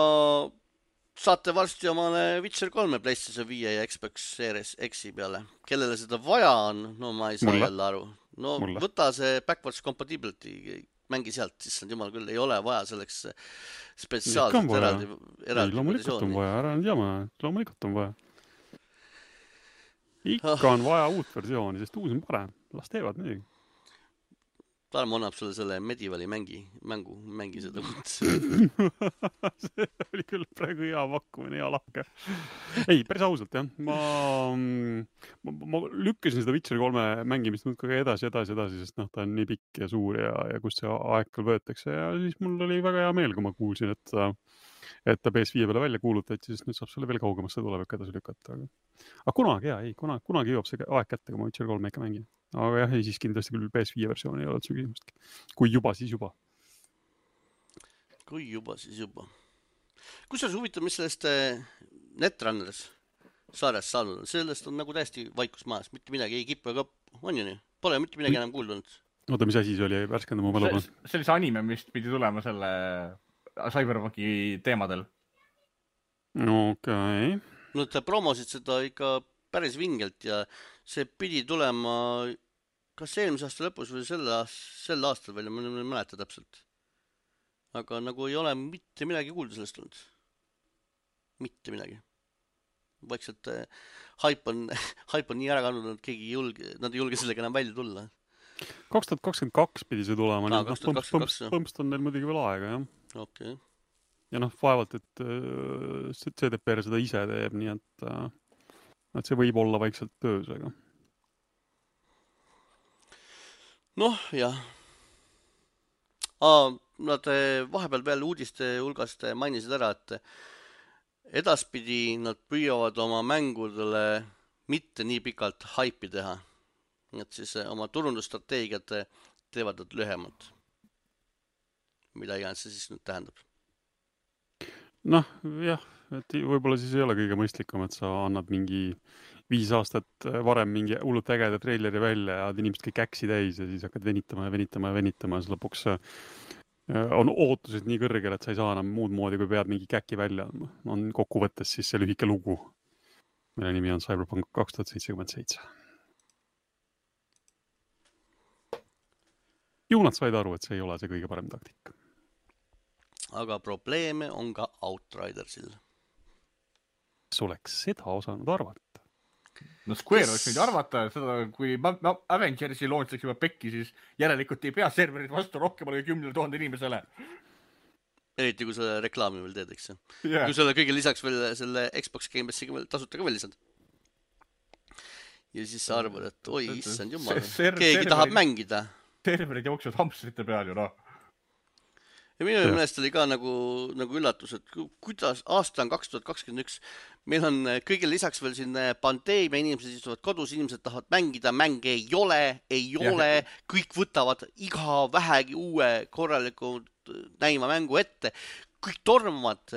A: saate varsti omale Witcher kolme PlayStation viie ja Xbox Series X-i peale. Kellele seda vaja on, no ma ei saa Mulle. jälle aru. No Mulle. Võta see backwards compatibility, mängi sealt, siis jumal küll ei ole vaja selleks spetsiaalselt eraldi, eraldi
B: loomulikult on vaja, ära nüüd jama, loomulikult on vaja. Ikka on vaja uut versiooni, sest uus on parem. Las teevad midagi.
A: Tarmo annab sulle selle Medievali mängi, mängu, mängi seda uut.
B: See oli küll praegu hea pakkumine, hea lahke. Ei, päris ausalt, jah. Ma, ma, ma lükkasin seda Witcher kolme mängimist nüüd ka edasi, edasi, edasi, sest noh, ta on nii pikk ja suur ja, ja kust see aeg küll võetakse. Ja siis mul oli väga hea meel, kui ma kuulsin, et, et ta P S viie peale välja kuulutati, sest nüüd saab selle veel kaugemasse tulevik edasi lükata. Aga, aga kunagi, jah, ei, kunagi, kunagi jõuab see aeg kätte, kui ma Witcher kolme ikka mängin. Aga jah, ei siis kindlasti küll P S viie versiooni ei ole üldse küsimustki. Kui juba, siis juba.
A: Kui juba, siis juba. Kus on huvitav, mis sellest Netrunners saarest saanud on? Sellest on nagu täiesti vaikus maas. Mitte midagi ei kipu ega on ju nii. Pole mitte midagi enam kuuldunud.
B: Oota, mis asi see oli? Värskenda mu mälu.
C: See, see oli see anime, mis pidi tulema selle Cyberpunki teemadel.
B: Okei. Okay.
A: Nad promosid seda ikka päris vingelt ja see pidi tulema kas eelmise aasta lõpus või sel, sel aastal veel, ma ei mäleta täpselt. Aga nagu ei ole mitte midagi kuulda sellest olnud. Mitte midagi. Vaikselt äh, hype on, hype on nii ära kandnud, et keegi ei julge, nad ei julge sellega enam välja tulla.
B: kaks tuhat kakskümmend kaks pidi see tulema,
A: Aa,
B: nii
A: kaks
B: et
A: tuhat
B: noh,
A: kakskümmend
B: põmps,
A: kaks,
B: põmps on neil muidugi veel aega, jah.
A: Okay.
B: Ja noh, vaevalt, et äh, C D P R seda ise teeb, nii et, äh, et see võib olla vaikselt töös, aga.
A: Noh, jah. Aa, nad vahepeal veel uudiste hulgast mainisid ära, et edaspidi nad püüavad oma mängudele mitte nii pikalt haipi teha. Et siis oma turundusstrateegiat teevad nad lühemalt. Mida iganes see siis nüüd tähendab.
B: Noh, jah, et võib-olla siis ei ole kõige mõistlikum, et sa annad mingi viis aastat varem mingi hullult ägeda treileri välja ja inimesed kõik äksi täis ja siis hakkad venitama ja venitama ja venitama ja siis lõpuks on ootused nii kõrgel, et sa ei saa enam muud moodi, kui pead mingi käki välja. On kokkuvõttes siis see lühike lugu, mille nimi on Cyberpunk kaks tuhat seitsekümmend seitse. Ju nad said aru, et see ei ole see kõige parem taktika.
A: Aga probleeme on ka Outridersil.
B: Kas oleks seda osanud arvata?
C: No Square oleks võinud arvata, seda, kui Avengersi launch'iks juba pekki, siis järelikult ei pea serverid vastu rohkem kui kümnele tuhande inimesele.
A: Eriti kui selle reklaami veel teed, eks.
C: Yeah.
A: Kui selle kõige lisaks veel selle Xbox Game Passi tasuta ka veel lisad. Ja siis sa arvad, et oi, issand jumal, keegi tahab mängida.
C: Serverid jooksevad hamstrite peal ju, noh.
A: Ja minu meelest oli ka nagu, nagu üllatus, et kuidas aasta on kaks tuhat kakskümmend üks, meil on kõige lisaks veel siin pandeemia, inimesed istuvad kodus, inimesed tahavad mängida, mänge ei ole, ei ole, kõik võtavad iga vähegi uue korraliku näima mängu ette, kõik tormavad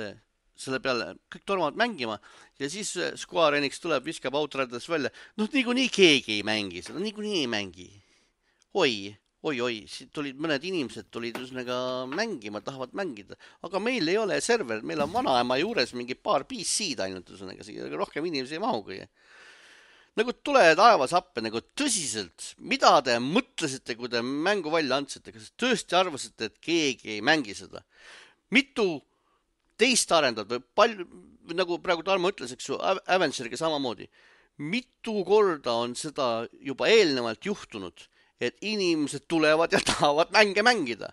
A: selle peale, kõik tormavad mängima ja siis Square Enix tuleb, viskab Outriders välja, noh niikuinii keegi ei mängi seda, niikuinii ei mängi. Oi, oi, oi, siit tulid mõned inimesed, tulid üsnega mängima, tahavad mängida, aga meil ei ole server, meil on vanaema juures mingi paar P C-d ainult, üsnega, rohkem inimesi ei mahugi. Nagu tule taevas appe, nagu tõsiselt, mida te mõtlesite, kui te mängu välja andsite, kas tõesti arvasite, et keegi ei mängi seda? Mitu teist arendad või palju, nagu praegu Tarmo ütles, eks ju, Avengeriga samamoodi, mitu korda on seda juba eelnevalt juhtunud, et inimesed tulevad ja tahavad mänge mängida.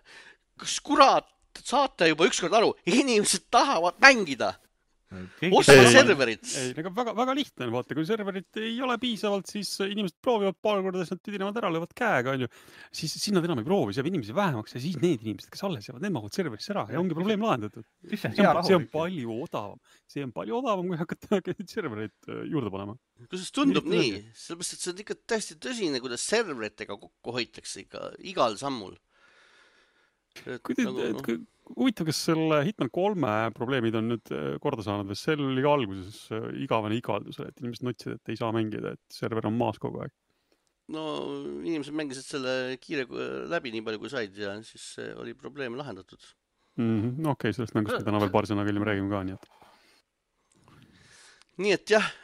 A: Kas kurat saate juba ükskord aru, inimesed tahavad mängida. Osta serverit.
B: Ei, ei, väga, väga lihtne on, vaata, kui serverit ei ole piisavalt, siis inimesed proovivad paar korda, siis nad tüdinevad ära, löövad käega, on ju. Siis, siis nad enam ei proovi, seab inimesi vähemaks ja siis need inimesed, kes alles jäävad, need mahuvad serverisse ära ja ongi probleem lahendatud. See on, see on palju odavam. See on palju odavam, kui hakata serverit juurde panema.
A: Kuidas tundub nii? Sellepärast, et see on ikka täiesti tõsine, kuidas serveritega kokku hoitakse ikka igal sammul.
B: Kui te, et, kui, huvitav, kas selle Hitman kolme probleemid on nüüd korda saanud, või seal oli ka alguses igavene igaldus, et inimesed notsid, et ei saa mängida, et server on maas kogu aeg?
A: No inimesed mängisid selle kiire läbi nii palju kui said ja siis oli probleem lahendatud.
B: Mm-hmm. Okei, okay, sellest mängust me täna veel paar sõna küll räägime ka, nii et.
A: Nii et jah,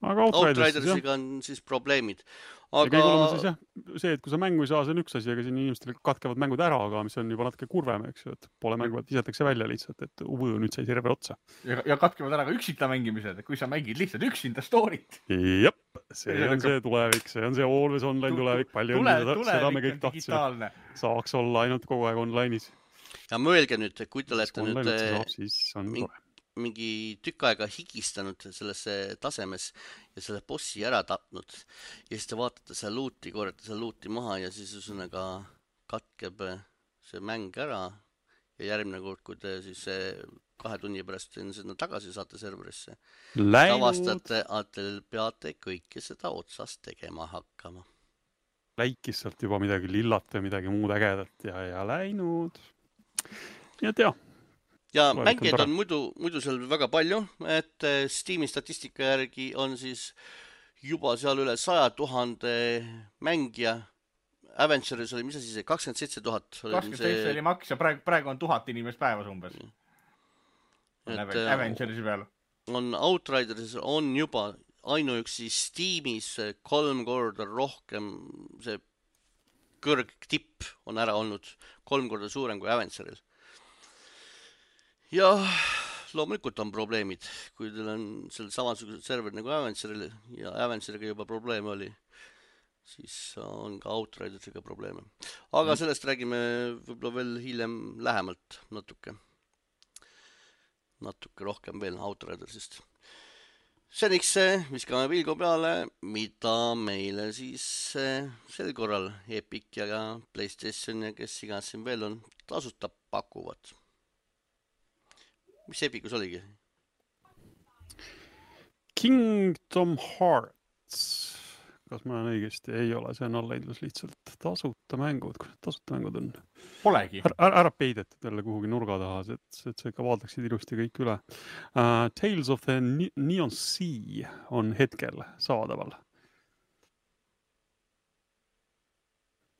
B: aga
A: Outridersiga on siis probleemid.
B: Aga... Ja kõige olema siis jah, see, et kui sa mängu ei saa, see on üks asi, aga siin inimestel katkevad mängud ära, aga mis on juba natuke kurvem, eks ju, et pole mängu, et isetakse välja lihtsalt, et uvu nüüd sai server otsa.
C: Ja, ja katkevad ära ka üksinda mängimised, kui sa mängid lihtsalt üksinda story't.
B: Jep, see ja on see tulevik, see on see always online tulevik, palju
C: tule,
B: on seda, seda me kõik tahtsime. Saaks olla ainult kogu aeg online'is.
A: Ja mõelge nüüd, kui te olete nüüd
B: saab, siis on
A: mingi, mingi tükk aega higistanud sellesse tasemes ja selle bossi ära tapnud ja siis te vaatate seal luuti, korjate seal luuti maha ja siis üsõnaga katkeb see mäng ära ja järgmine kord, kui te siis kahe tunni pärast sinna tagasi saate serverisse, tavastate, et te peate kõike seda otsast tegema hakkama.
B: Läikis sealt juba midagi lillat või midagi muud ägedat ja, ja läinud. Ja tea.
A: Ja mängijaid on muidu, muidu seal väga palju, et Steam'i statistika järgi on siis juba seal üle saja tuhande mängija. Avengeris oli, mis siis, kakskümmend seitse tuhat.
C: kakskümmend seitse oli maks ja praegu, praegu on tuhat inimest päevas umbes. Et, Avengerisi peal.
A: on Outrideris on juba ainuüksi Steamis kolm korda rohkem see kõrgtipp on ära olnud, kolm korda suurem kui Aventuril. Ja loomulikult on probleemid, kui teil on seal samasugused serverid nagu Aventuril ja Aventuriga juba probleeme oli, siis on ka Outrideriga probleeme. Aga sellest räägime võib-olla veel hiljem lähemalt natuke. Natuke rohkem veel Outridersist. Seniks viskame pilgu peale, mida meile siis sel korral Epic ja PlayStation ja kes igas siin veel on tasuta pakuvad. Mis Epicus oligi?
B: Kingdom Hearts. Kas ma olen õigesti? Ei ole, see on allaidlus lihtsalt tasuta mängud. Kus need tasuta mängud on?
C: Polegi.
B: Ära, ära peidetud jälle kuhugi nurga taha, et, et see ikka vaadaksid ilusti kõik üle. Uh, Tales of the Neon Sea on hetkel saadaval.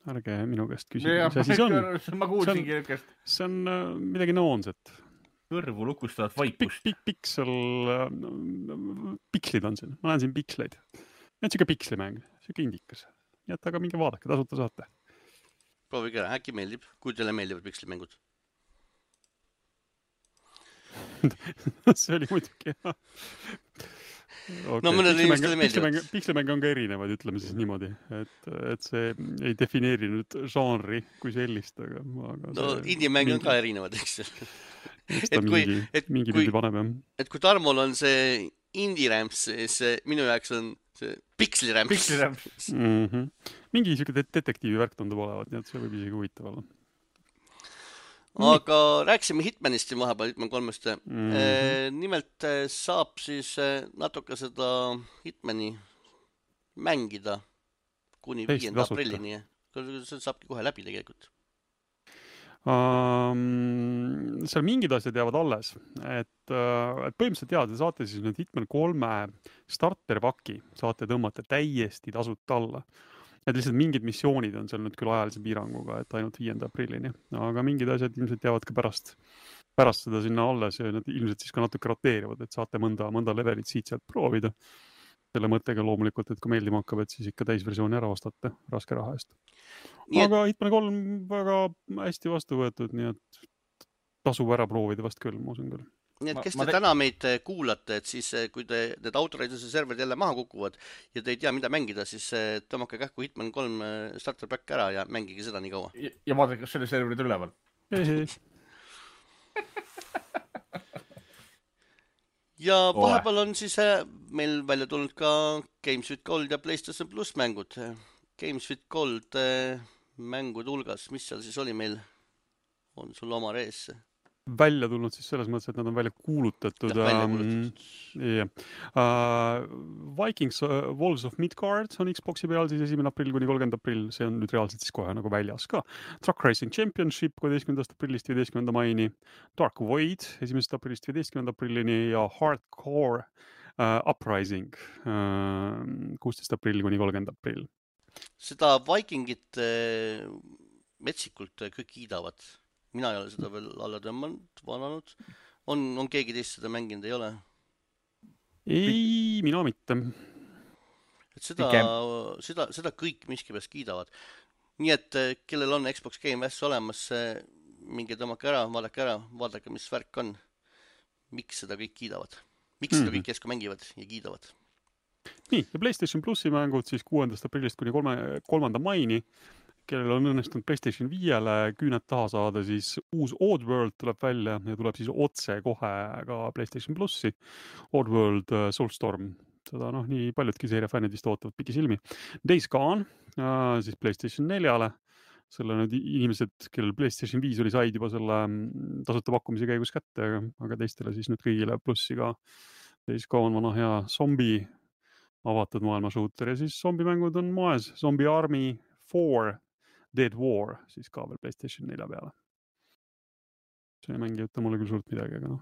B: Ärge minu käest küsida, mis asi see on.
C: Ma kuulsingi hetkest.
B: See on uh, midagi noonset.
C: Kõrvu lukustavat vaikust.
B: Pik, pik, piksel, pikslid on siin. Ma näen siin piksleid. Need on siuke pikslimäng, siuke indikas. Nii et aga minge vaadake, tasuta saate.
A: Proovige ära, äkki meeldib, kui teile meeldivad pikslimängud.
B: See oli muidugi, jah. Okay.
A: No mõned inimestele meeldivad.
B: Pikslimäng on ka erinevad, ütleme siis niimoodi, et, et see ei defineeri nüüd žanri kui sellist, aga... aga
A: no indie-mäng on ka erinevad, eks.
B: et kui, mingi, et, mingi kui, paneb,
A: et kui Tarmol on see indie-rämps, siis minu jaoks on see piksli-rämps.
C: Piksli-rämps.
B: Mm-hmm. Mingi siuke detektiivi värk tundub olevat, nii et see võib isegi huvitav olla.
A: Aga rääksime Hitmanist siin vahepeal, Hitman kolmest. Mm-hmm. Nimelt saab siis natuke seda Hitmani mängida kuni viienda aprillini. See saabki kohe läbi tegelikult.
B: Um, seal mingid asjad jäävad alles, et, et põhimõtteliselt teada, te saate siis nüüd Hitman kolme starterpaki saate tõmmata täiesti tasuta alla. Et lihtsalt mingid missioonid on seal nüüd küll ajalise piiranguga, et ainult viienda aprillini, aga mingid asjad ilmselt jäävad ka pärast, pärast seda sinna alles ja need ilmselt siis ka natuke roteerivad, et saate mõnda, mõnda levelit siit sealt proovida. Selle mõttega loomulikult, et kui meeldima hakkab, et siis ikka täisversiooni ära ostate raske raha eest. Nii aga et... Hitman kolm väga hästi vastu võetud, nii et tasub ära proovida vast küll, ma usun küll.
A: Nii et kes te te... täna meid kuulate, et siis kui te need Outrider'se serverid jälle maha kukuvad ja te ei tea, mida mängida, siis tõmmake kähku Hitman kolm starter pack ära ja mängige seda nii kaua.
C: Ja, ja vaadake, kas selle serverid üleval.
A: Ja vahepeal on siis meil välja tulnud ka Games with Gold ja PlayStation Plus mängud. Games with Gold mängud hulgas, mis seal siis oli meil? On sul oma rees?
B: Välja tulnud siis selles mõttes, et nad on välja kuulutatud.
A: Ja, välja kuulutatud.
B: Um, yeah. uh, Vikings uh, Wolves of Midgard on Xboxi peal siis esimene aprill kuni kolmkümmend aprill. See on nüüd reaalselt siis kohe nagu väljas ka. Truck Racing Championship kolmeteistkümnendast aprillist viieteistkümnenda maini. Dark Void esimesest aprillist viieteistkümnenda aprillini ja Hardcore uh, Uprising uh, kuusteist aprill kuni kolmkümmend aprill.
A: Seda Vikingit uh, metsikult kõik kiidavad. Mina ei ole seda veel alla tõmmanud, vananud. On, on keegi teist seda mänginud, ei ole?
B: Ei, mina mitte.
A: Et seda, seda, seda kõik miskipärast kiidavad. Nii et kellel on Xbox Game Pass olemas, minge tõmmake ära, vaadake ära, vaadake, mis värk on. Miks seda kõik kiidavad? Miks mm-hmm. seda kõik kesku mängivad ja kiidavad?
B: Nii, ja PlayStation Plusi mängud siis kuuendast aprillist kuni kolme, kolmanda maini. Kellel on õnnestunud PlayStation viiele küüned taha saada, siis uus Oddworld tuleb välja ja tuleb siis otse kohe ka PlayStation Plussi. Oddworld Soulstorm, seda noh, nii paljudki seeria fännid vist ootavad pikisilmi. Days Gone, siis PlayStation neljale. Selle nüüd inimesed, kellel PlayStation viis oli, said juba selle tasuta pakkumise käigus kätte, aga teistele siis nüüd kõigile Plussi ka. Days Gone, vana hea zombi, avatud maailma shooter ja siis zombimängud on moes. Zombie Army four Dead War, siis ka veel PlayStation nelja peale. See mängi ütta mulle küll suurt midagi, aga noh.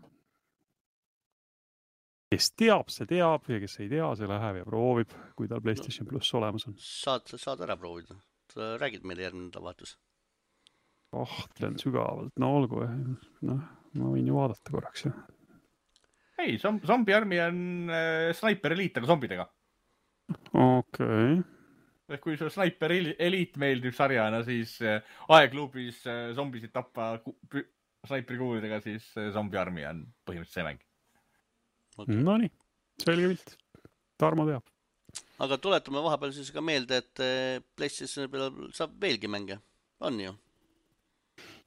B: Kes teab, see teab ja kes ei tea, see läheb ja proovib, kui tal PlayStation no, Plus olemas on.
A: Saad, saad ära proovida. Sa räägid meile järgmine nädalavahetus.
B: Kahtlen sügavalt, no olgu. No, ma võin ju vaadata korraks. Ja.
C: ei, Zombie Army on äh, Sniper Elite, aga zombidega.
B: Okei.
C: Okay. Kui see Sniper Elite meeldib sarjana, siis äh, aegklubis äh, zombisid tappa Sniperi kuulidega, siis äh, Zombie Army on põhimõtteliselt see mäng.
B: Okay. No nii, selge pilt. Tarmo teab.
A: Aga tuletame vahepeal siis ka meelde, et PlayStationi peal saab veelgi mänge. On ju?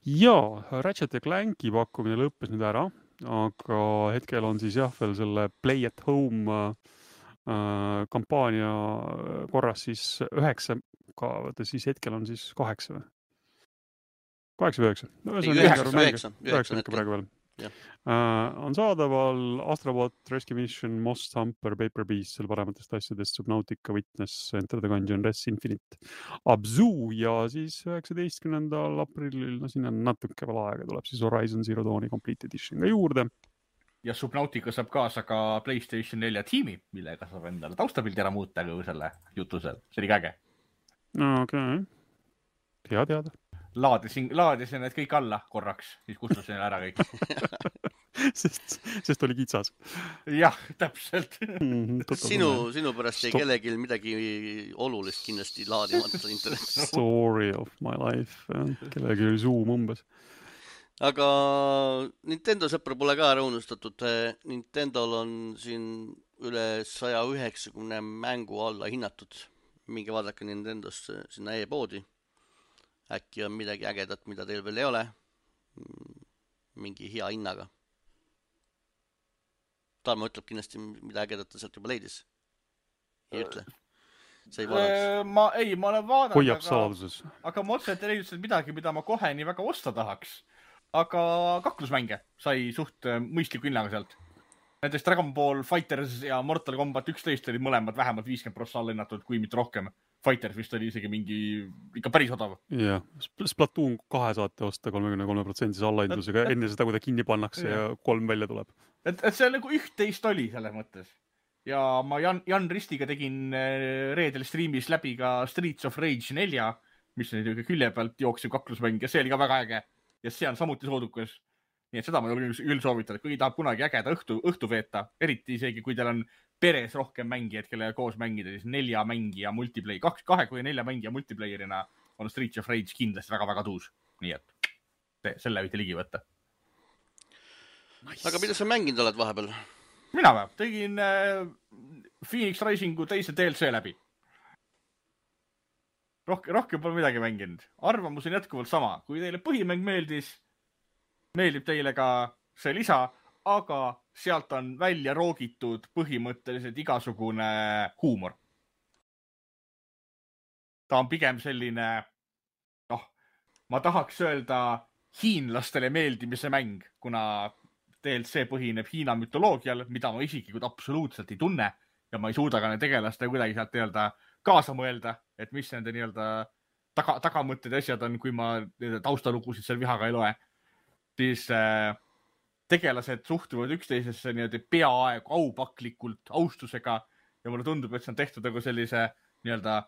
B: Jaa, Ratchet ja Clanki pakkumine lõppes nüüd ära, aga hetkel on siis jah veel selle Play at Home äh, kampaania korras siis üheksa, ka, vaata siis hetkel on siis kaheksa või? Kaheksa või üheksa?
A: üheksa,
B: üheksa ikka praegu veel. Uh, on saadaval Astrobot, Rescue Mission, Most Humper, Paper Beast, seal parematest asjadest Subnautica, Witness, Enter the Gungeon, Res Infinite, Abzu ja siis üheksateistkümnendal aprillil, no siin on natuke veel aega, tuleb siis Horizon Zero Dawni Complete Edition ka juurde.
C: Ja Subnautica saab kaasa ka PlayStation nelja tiimi, millega saab endale taustapildi ära muuta kui selle jutusel. See oli käge.
B: Okei. Hea teada.
C: Laadisin, laadisin need kõik alla korraks, siis kustusin ära kõik.
B: sest, sest oli kitsas.
C: Jah, täpselt.
A: Mm, sinu, sinu pärast ei kellelgi midagi olulist kindlasti laadimata internetis.
B: Story of my life. Kellelgi oli Zoom umbes.
A: Aga Nintendo sõpra pole ka ära unustatud. Nintendol on siin üle saja üheksakümne mängu alla hinnatud. Minge vaadake Nintendost sinna e-poodi. Äkki on midagi ägedat, mida teil veel ei ole. Mingi hea hinnaga. Tarmo ütleb kindlasti, mida ägedat ta sealt juba leidis. Ei ütle. See ei vaadaks.
C: Ma, ei, ma olen vaadanud.
B: Hoiab saladuses.
C: Aga ma otseselt ei leidnud midagi, mida ma kohe nii väga osta tahaks. Aga kaklusmänge sai suht mõistliku hinnaga sealt. Näiteks Dragon Ball Fighters ja Mortal Kombat üksteist olid mõlemad vähemalt viiskümmend prossa allahinnatud, kui mitte rohkem. Fighters vist oli isegi mingi ikka päris odav.
B: Jah, Splatoon kahe saate osta kolmekümne kolme protsendise allahindlusega enne seda, kui ta kinni pannakse ja, ja kolm välja tuleb.
C: Et, et see nagu üht-teist oli selles mõttes. Ja ma Jan, Jan Ristiga tegin reedel streamis läbi ka Streets of Rage nelja, mis on külje pealt jooksev kaklusmäng ja see oli ka väga äge. Ja see on samuti soodukas. Nii et seda ma julgen küll soovitada, kui tahab kunagi ägeda õhtu, õhtu veeta, eriti isegi kui teil on peres rohkem mängijad, kellega koos mängida, siis nelja mängija multiplayer, kaks, kahe kui nelja mängija multiplayerina on Streets of Rage kindlasti väga-väga tuus. Nii et see, selle võite ligi võtta.
A: Nice. Aga mida sa mänginud oled vahepeal?
C: Mina või? Tegin äh, Phoenix Risingu teise D L C läbi. Rohkem, rohkem pole midagi mänginud. Arvamus on jätkuvalt sama. Kui teile põhimäng meeldis, meeldib teile ka see lisa, aga sealt on välja roogitud põhimõtteliselt igasugune huumor. Ta on pigem selline, noh, ma tahaks öelda hiinlastele meeldimise mäng, kuna D L C põhineb Hiina mütoloogial, mida ma isiklikult absoluutselt ei tunne ja ma ei suuda ka need tegelaste kuidagi sealt nii-öelda kaasa mõelda, et mis nende nii-öelda taga, tagamõtted asjad on, kui ma taustalugusid seal vihaga ei loe. Siis äh, tegelased suhtuvad üksteisesse nii-öelda peaaegu aupaklikult austusega ja mulle tundub, et see on tehtud nagu sellise nii-öelda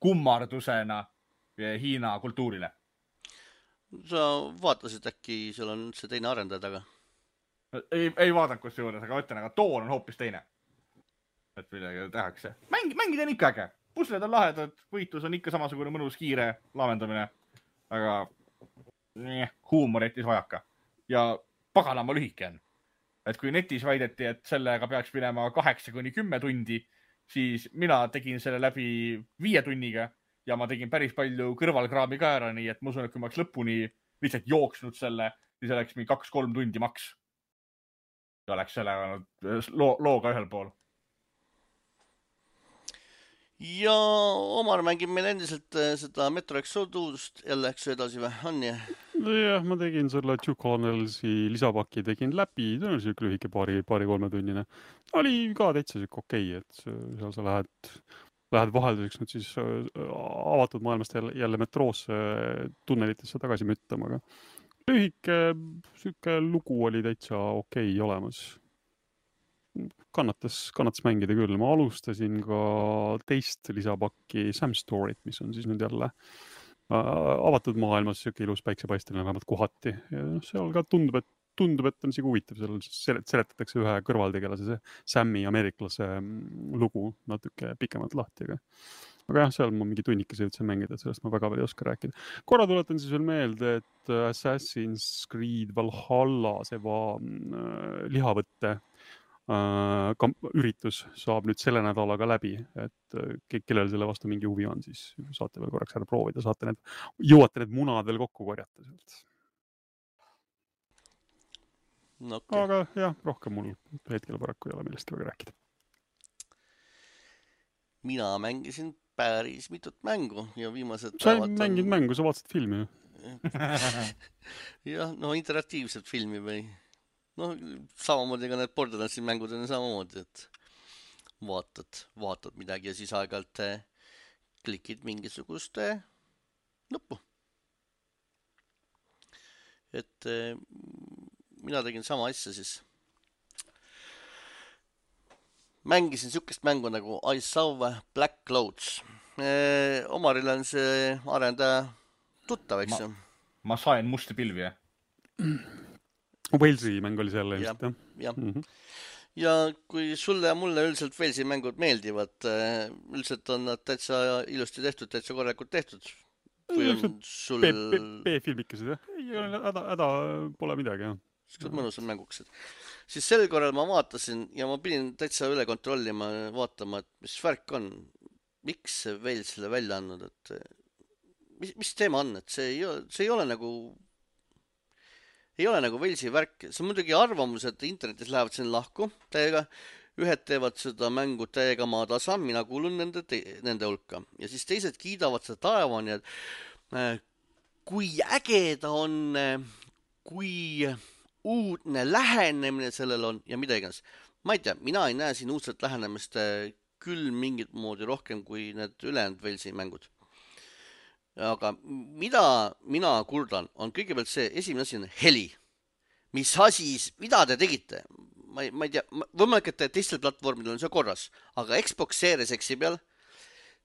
C: kummardusena Hiina kultuurile.
A: Sa vaatasid äkki, seal on see teine arendaja taga?
C: Ei, ei vaadanud kus juures, aga ütlen, aga toon on hoopis teine. Et midagi tehakse. Mäng, mängid on ikka äge. Pusled on lahedad, võitlus on ikka samasugune mõnus kiire laamendamine, aga nee, huumor jättis vajaka. Ja paganama lühike on. Et kui netis väideti, et sellega peaks minema kaheksa kuni kümme tundi, siis mina tegin selle läbi viie tunniga ja ma tegin päris palju kõrvalkraami ka ära, nii et ma usun, et kui ma oleks lõpuni lihtsalt jooksnud selle, siis oleks mingi kaks-kolm tundi maks. Ja oleks selle loo, looga ühel pool.
A: Ja Omar mängib meil endiselt seda Metro Exodust jälle eks edasi või? On jah?
B: Jah, ma tegin selle Two Colonelsi lisapaki, tegin läbi, see on siuke lühike paari, paari kolme tunnine. Oli ka täitsa siuke okei, et seal sa lähed, lähed vahelduseks nüüd siis avatud maailmast jälle, jälle metroosse tunnelitesse tagasi müttama, aga lühike siuke lugu oli täitsa okei olemas. Kannatas, kannatas mängida küll. Ma alustasin ka teist lisapakki Sam Storyt, mis on siis nüüd jälle avatud maailmas siuke ilus päiksepaisteline vähemalt kohati. Ja seal ka tundub, et tundub, et on isegi huvitav, seal seletatakse ühe kõrvaltegelase, see Sammi ameeriklase lugu natuke pikemalt lahti, aga aga jah, seal ma mingi tunnikese jõudsin mängida, et sellest ma väga veel ei oska rääkida. Korra tuletan siis veel meelde, et Assassin's Creed Valhalla, see va, äh, lihavõtte äh, kamp, üritus saab nüüd selle nädalaga läbi, et äh, kellel selle vastu mingi huvi on, siis saate veel korraks ära proovida, saate need, jõuate need munad veel kokku korjata sealt.
A: No, okay.
B: Aga jah, rohkem mul hetkel paraku ei ole millest väga rääkida.
A: Mina mängisin päris mitut mängu ja viimased
B: sa ei mängid on... mängu, sa vaatasid filmi ju.
A: jah, no interaktiivset filmi või no samamoodi ka need Borderlandsi mängud on samamoodi, et vaatad, vaatad midagi ja siis aeg-ajalt klikid mingisugust nuppu. Et mina tegin sama asja siis. Mängisin sükest mängu nagu I Saw Black Clouds. E, Omaril on see arendaja tuttav, eks ju?
C: Ma, ma sain musti pilvi, jah?
B: Walesi mäng oli seal ilmselt,
A: jah? Ja. Mm -hmm. ja kui sulle ja mulle üldiselt Walesi mängud meeldivad, üldiselt on nad täitsa ilusti tehtud, täitsa korralikult tehtud. Või on sul...
B: B-filmikesed, jah? Ei ole, häda, häda pole midagi, jah.
A: Siuksed mõnusad mängukesed. Siis sel korral ma vaatasin ja ma pidin täitsa üle kontrollima, vaatama, et mis värk on. Miks see veel selle välja andnud, et mis, mis teema on, et see ei ole, see ei ole nagu ei ole nagu Walesi värk. See on muidugi arvamus, et internetis lähevad siin lahku täiega. Ühed teevad seda mängu täiega maatasa, mina kuulun nende, te, nende hulka. Ja siis teised kiidavad seda taevani, et äh, kui äge ta on, kui uudne lähenemine sellel on ja mida iganes. Ma ei tea, mina ei näe siin uudset lähenemist küll mingit moodi rohkem kui need ülejäänud Walesi mängud. Aga mida mina kurdan, on kõigepealt see esimene asi on heli. Mis asi, mida te tegite? Ma ei, ma ei tea, võimalik, et teistel platvormidel on see korras, aga Xbox Series X-i peal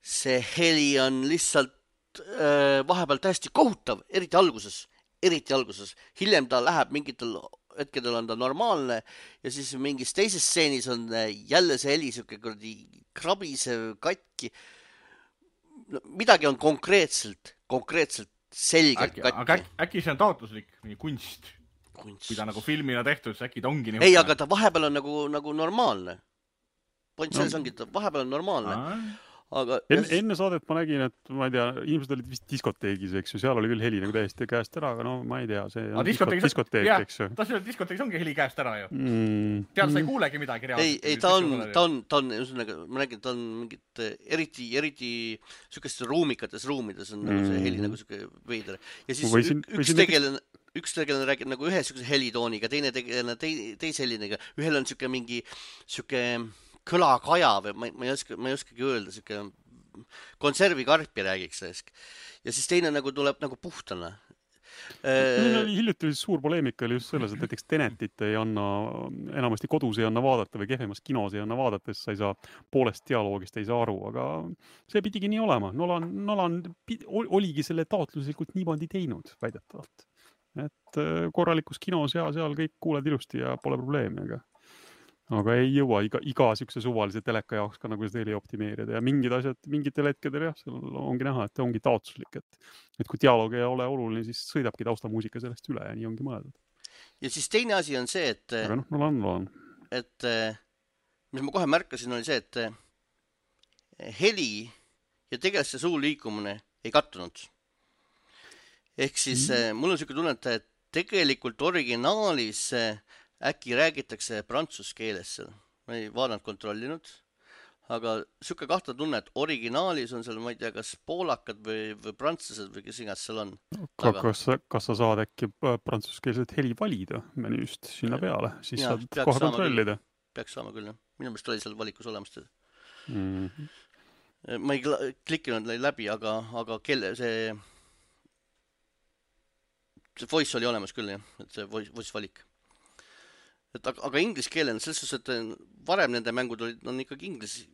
A: see heli on lihtsalt äh, vahepeal täiesti kohutav, eriti alguses. eriti alguses. Hiljem ta läheb mingitel hetkedel on ta normaalne ja siis mingis teises stseenis on jälle see heli siuke kuradi krabisev katki. No, midagi on konkreetselt, konkreetselt selgelt
C: äkki,
A: katki.
C: Aga äkki see on taotluslik mingi kunst?
A: kunst.
C: Kui ta nagu filmina tehtud, siis äkki ta ongi nii.
A: Ei, aga ta vahepeal on nagu, nagu normaalne. Point selles no. ongi, ta vahepeal on normaalne. Aa. Aga
B: enne, enne saadet ma nägin, et ma ei tea, inimesed olid vist diskoteegis, eks ju, seal oli küll heli nagu täiesti käest ära, aga no ma ei tea, see on diskoteek, diskoteek
C: jah,
B: eks ju.
C: Ta seal diskoteegis ongi heli käest ära ju.
B: Mm.
C: Seal sa ei kuulegi midagi reaalselt.
A: Ei, ei ta on, ta on, ta on, üsõnaga, ma nägin, ta on mingit eriti, eriti sükestes ruumikates ruumides on mm. nagu see heli nagu süke veider. Ja siis võisin, üks võisin tegelane, üks tegelane räägib nagu ühe sükese helitooniga, teine tegelane tei, teise heliniga. Ühel on süke mingi süke kõlakaja või ma, ma ei oska, ma ei oskagi öelda, süke konservikarpi räägiks sellest. Ja siis teine nagu tuleb nagu puhtana.
B: Meil oli hiljuti suur poleemika oli just selles, et näiteks Tenetit ei anna, enamasti kodus ei anna vaadata või kehvemas kinos ei anna vaadata, sest sa ei saa poolest dialoogist ei saa aru, aga see pidigi nii olema. Nolan, Nolan oligi selle taotluslikult niimoodi teinud väidetavalt. Et korralikus kinos ja seal kõik kuuled ilusti ja pole probleemi, aga aga ei jõua iga, iga sükse suvalise teleka jaoks ka nagu seda heli optimeerida ja mingid asjad, mingitel hetkedel jah, seal ongi näha, et ongi taotluslik, et, et kui dialoog ei ole oluline, siis sõidabki taustamuusika sellest üle ja nii ongi mõeldud.
A: Ja siis teine asi on see, et
B: aga noh, Nolan, Nolan.
A: Et mis ma kohe märkasin, oli see, et heli ja tegelikult see suu liikumine ei kattunud. Ehk siis mm. mul on siuke tunne, et tegelikult originaalis äkki räägitakse prantsuse keeles seal. Ma ei vaadanud kontrollinud, aga siuke kahta tunne, et originaalis on seal, ma ei tea, kas poolakad või, või prantslased või kes igas seal on.
B: Kas, kas sa saad äkki prantsuskeelset heli valida menüüst sinna peale, siis ja, saad kohe kontrollida?
A: Peaks saama küll, jah. Minu meelest oli seal valikus olemas teda.
B: Mm.
A: Ma ei klikkinud läbi, aga, aga kelle see see voice oli olemas küll, jah, et see voice, voice valik. Et, aga, aga inglise keelen, selles suhtes, et varem nende mängud olid, on ikkagi inglise,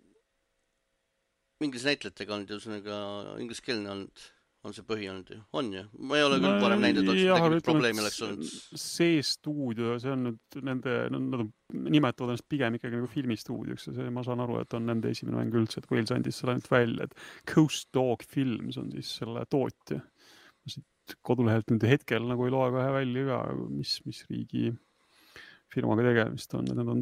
A: inglise näitlejatega olnud ja ühesõnaga inglise keelne olnud. on see põhi olnud ju, on ju, ma ei ole küll varem näinud, et oleks midagi probleemi oleks olnud.
B: See stuudio, see on nüüd nende, nad nimetavad ennast pigem ikkagi nagu filmistuudioks ja see, ma saan aru, et on nende esimene mäng üldse, et Wales andis selle ainult välja, et Coast Dog Films on siis selle tootja. Siit kodulehelt nüüd hetkel nagu ei loe kohe välja ka, mis, mis riigi firmaga tegemist on, need on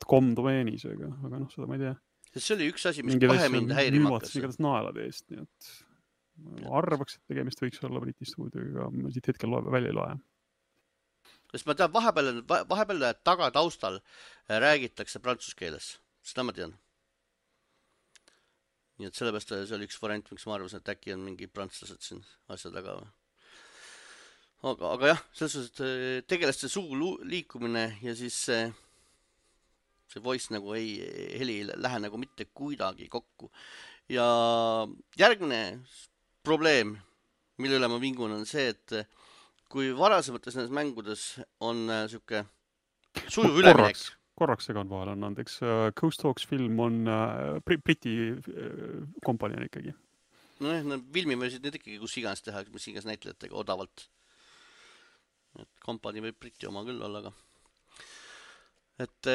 B: .com domeenis, aga, aga noh, seda ma ei tea.
A: See oli üks asi, mis kohe mind häirima hakkas.
B: Mingi naelade eest, nii et ma arvaks, et tegemist võiks olla Briti stuudioga, ma siit hetkel loe, välja ei loe.
A: Sest ma tean, vahepeal, vahepeal taga taustal räägitakse prantsuse keeles. Seda ma tean. Nii et sellepärast see oli üks variant, miks ma arvasin, et äkki on mingi prantslased siin asja taga. Aga, aga jah, selles suhtes, et tegelaste suu liikumine ja siis see, see voice nagu ei, heli ei lähe nagu mitte kuidagi kokku. Ja järgmine probleem, mille üle ma vingun, on see, et kui varasemates nendes mängudes on siuke sujuv üleminek.
B: Korraks, korraks segan vahel on andeks. Coast Dogs film on uh, Briti uh, kompanii ikkagi.
A: No jah, no, filmi võisid need ikkagi kus iganes teha, mis iganes näitlejatega odavalt. Et kompanii võib Briti oma küll olla, aga et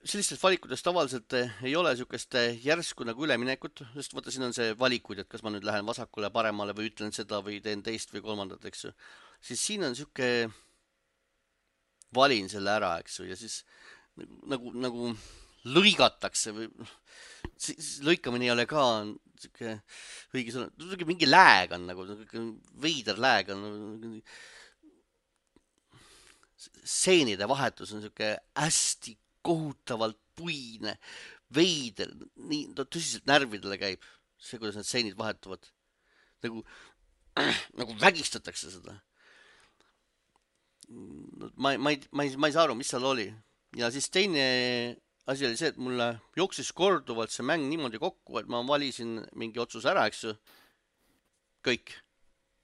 A: sellistest valikutest tavaliselt ei ole siukest järsku nagu üleminekut, sest vaata, siin on see valikuid, et kas ma nüüd lähen vasakule, paremale või ütlen seda või teen teist või kolmandat, eks ju. Siis siin on siuke, valin selle ära, eks ju, ja siis nagu, nagu lõigatakse või siis lõikamine ei ole ka siuke õige sõna, mingi lääg on nagu, veider lääg on, seenide vahetus on siuke hästi kohutavalt puine, veider, nii tõsiselt närvidele käib see, kuidas need seenid vahetuvad. Nagu, nagu vägistatakse seda. Ma, ma, ei, ma, ei, ma ei saa aru, mis seal oli. Ja siis teine asi oli see, et mulle jooksis korduvalt see mäng niimoodi kokku, et ma valisin mingi otsus ära, eks ju. Kõik.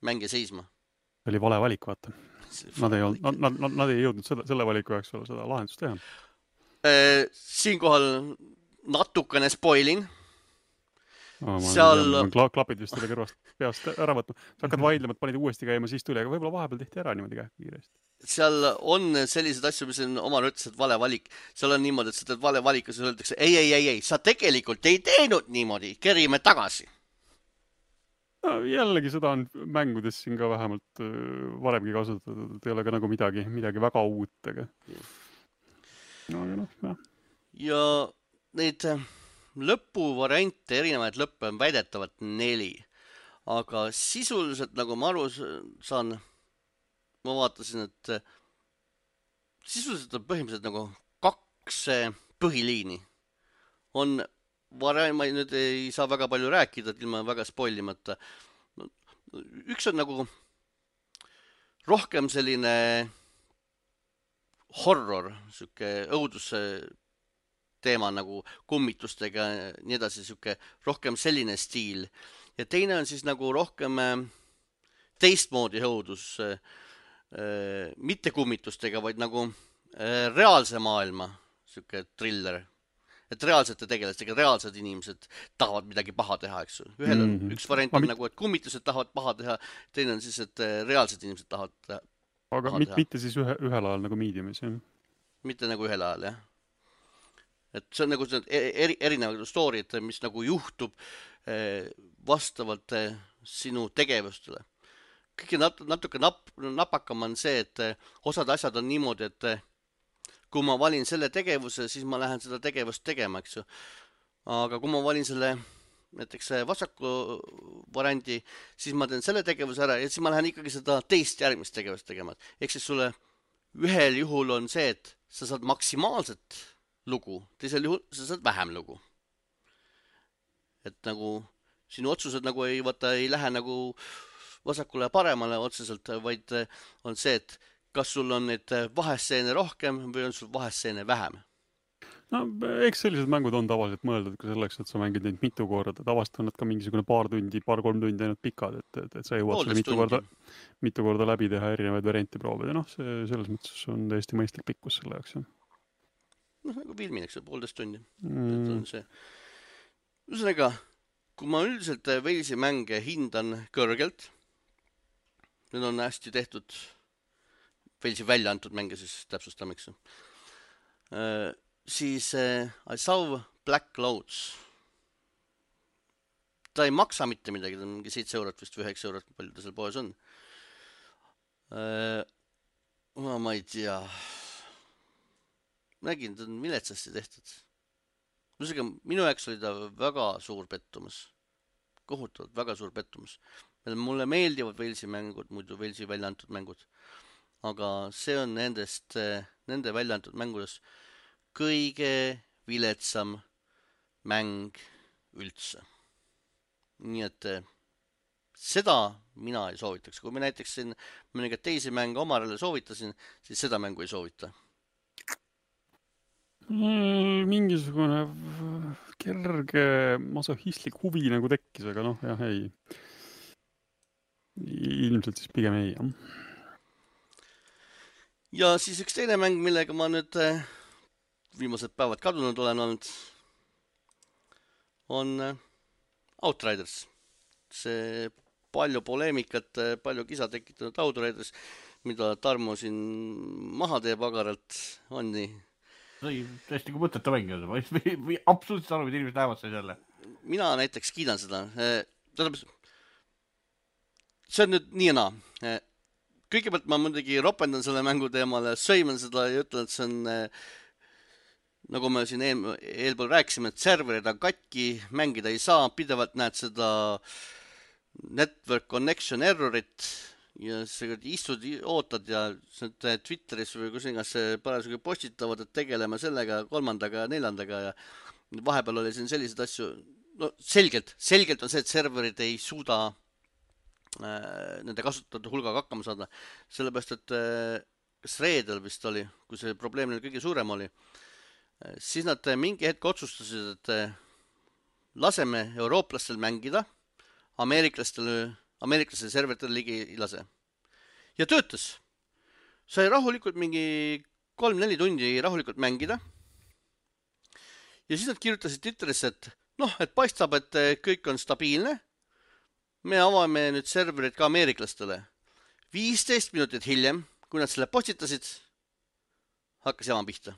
A: Mänge seisma.
B: See oli vale valik, vaata. Nad ei, olnud, nad, nad, nad ei jõudnud selle, selle valiku jaoks olla seda lahendust teha.
A: Siinkohal natukene spoilin.
B: Oh, seal... Tean, klapid vist selle kõrvast peast ära võtma. Sa hakkad vaidlema, et panid uuesti käima siis tuli, aga võib-olla vahepeal tehti ära niimoodi kähku kiiresti.
A: Seal on sellised asju, mis on oma ütlesid vale valik. Seal on niimoodi, et sa teed vale valiku, siis öeldakse, ei, ei, ei, ei, sa tegelikult ei teinud niimoodi, kerime tagasi.
B: No, jällegi seda on mängudes siin ka vähemalt varemgi kasutatud, et ei ole ka nagu midagi, midagi väga uut, aga... No, no, no. Ja neid lõpuvariante, erinevaid lõppe on väidetavalt neli. Aga sisuliselt, nagu ma aru saan, ma vaatasin, et sisuliselt on põhimõtteliselt nagu kaks põhiliini. On varem, ma nüüd ei saa väga palju rääkida, et ilma väga spoilimata. Üks on nagu rohkem selline horror, siuke õuduse teema nagu kummitustega, nii edasi, siuke rohkem selline stiil. Ja teine on siis nagu rohkem teistmoodi õudus, mitte kummitustega, vaid nagu reaalse maailma, siuke thriller. Et reaalsete tegelastega, reaalsed inimesed tahavad midagi paha teha, eks ju. Ühel on mm-hmm. üks variant on mit... nagu, et kummitused tahavad paha teha, teine on siis, et reaalsed inimesed tahavad teha. Aga mit, mitte siis ühe, ühel ajal nagu mediumis, jah?
A: Mitte nagu ühel ajal, jah. Et see on nagu eri, erinevad stooried, mis nagu juhtub vastavalt sinu tegevustele. Kõige nat, natuke nap, napakam on see, et osad asjad on niimoodi, et kui ma valin selle tegevuse, siis ma lähen seda tegevust tegema, eks ju. Aga kui ma valin selle näiteks vasaku variandi, siis ma teen selle tegevuse ära ja siis ma lähen ikkagi seda teist järgmist tegevust tegema. Ehk siis sulle ühel juhul on see, et sa saad maksimaalset lugu, teisel juhul sa saad vähem lugu. Et nagu sinu otsused nagu ei, vaata, ei lähe nagu vasakule paremale otseselt, vaid on see, et kas sul on neid vahestseene rohkem või on sul vahestseene vähem?
B: No, eks sellised mängud on tavaliselt mõeldud ka selleks, et sa mängid neid mitu korda. Tavaliselt on nad ka mingisugune paar tundi, paar-kolm tundi ainult pikad, et, et, et sa jõuad selle mitu korda, mitu korda läbi teha erinevaid variante proovida. Noh, see selles mõttes on täiesti mõistlik pikkus selle jaoks.
A: Noh, nagu filmineks on poolteist tundi.
B: Mm.
A: On see. Ühesõnaga, kui ma üldiselt Walesi mänge hindan kõrgelt, need on hästi tehtud, Walesi välja antud mänge siis täpsustame, eks ju, siis I saw Black Clouds. Ta ei maksa mitte midagi, ta on mingi seitse eurot vist või üheksa eurot, palju ta seal poes on. Ma, ma ei tea. Nägin, ta on viletsasti tehtud. Minu jaoks oli ta väga suur pettumus. Kohutavalt väga suur pettumus. Mulle meeldivad Walesi mängud, muidu Walesi välja antud mängud. Aga see on nendest, nende välja antud mängudest kõige viletsam mäng üldse. Nii et seda mina ei soovitaks. Kui me näiteks siin mõningaid teisi mänge omarele soovitasin, siis seda mängu ei soovita.
B: Mingisugune kerge masohistlik huvi nagu tekkis, aga noh, jah, ei. Ilmselt siis pigem ei, jah.
A: Ja siis üks teine mäng, millega ma nüüd viimased päevad kadunud olen olnud, on Outriders. See palju poleemikat, palju kisa tekitanud Outriders, mida Tarmo siin maha teeb agaralt, on nii.
C: Sai tõesti kui mõteta mängida, või absoluutselt aru, mida inimesed näevad sai selle.
A: Mina näiteks kiidan seda. See on nüüd nii ja naa. Kõigepealt ma muidugi ropendan selle mängu teemale, sõiman seda ja ütlen, et see on, nagu me siin eel, eelpool rääkisime, et serverid on katki, mängida ei saa, pidevalt näed seda network connection errorit ja sa istud, ootad ja Twitteris või kus ingas parasjagu postitavad, et tegeleme sellega, kolmandaga ja neljandaga ja vahepeal oli siin sellised asju, no selgelt, selgelt on see, et serverid ei suuda äh, nende kasutajate hulgaga hakkama saada, sellepärast, et äh, kas reedel vist oli, kui see probleem neil kõige suurem oli, äh, siis nad mingi hetk otsustasid, et äh, laseme eurooplastel mängida, ameeriklastel, ameeriklastel serveritel ligi ei lase. Ja töötas. Sai rahulikult mingi kolm-neli tundi rahulikult mängida. Ja siis nad kirjutasid Twitterisse, et noh, et paistab, et kõik on stabiilne. Me avame nüüd serverid ka ameeriklastele. viisteist minutit hiljem, kui nad selle postitasid, hakkas jama pihta.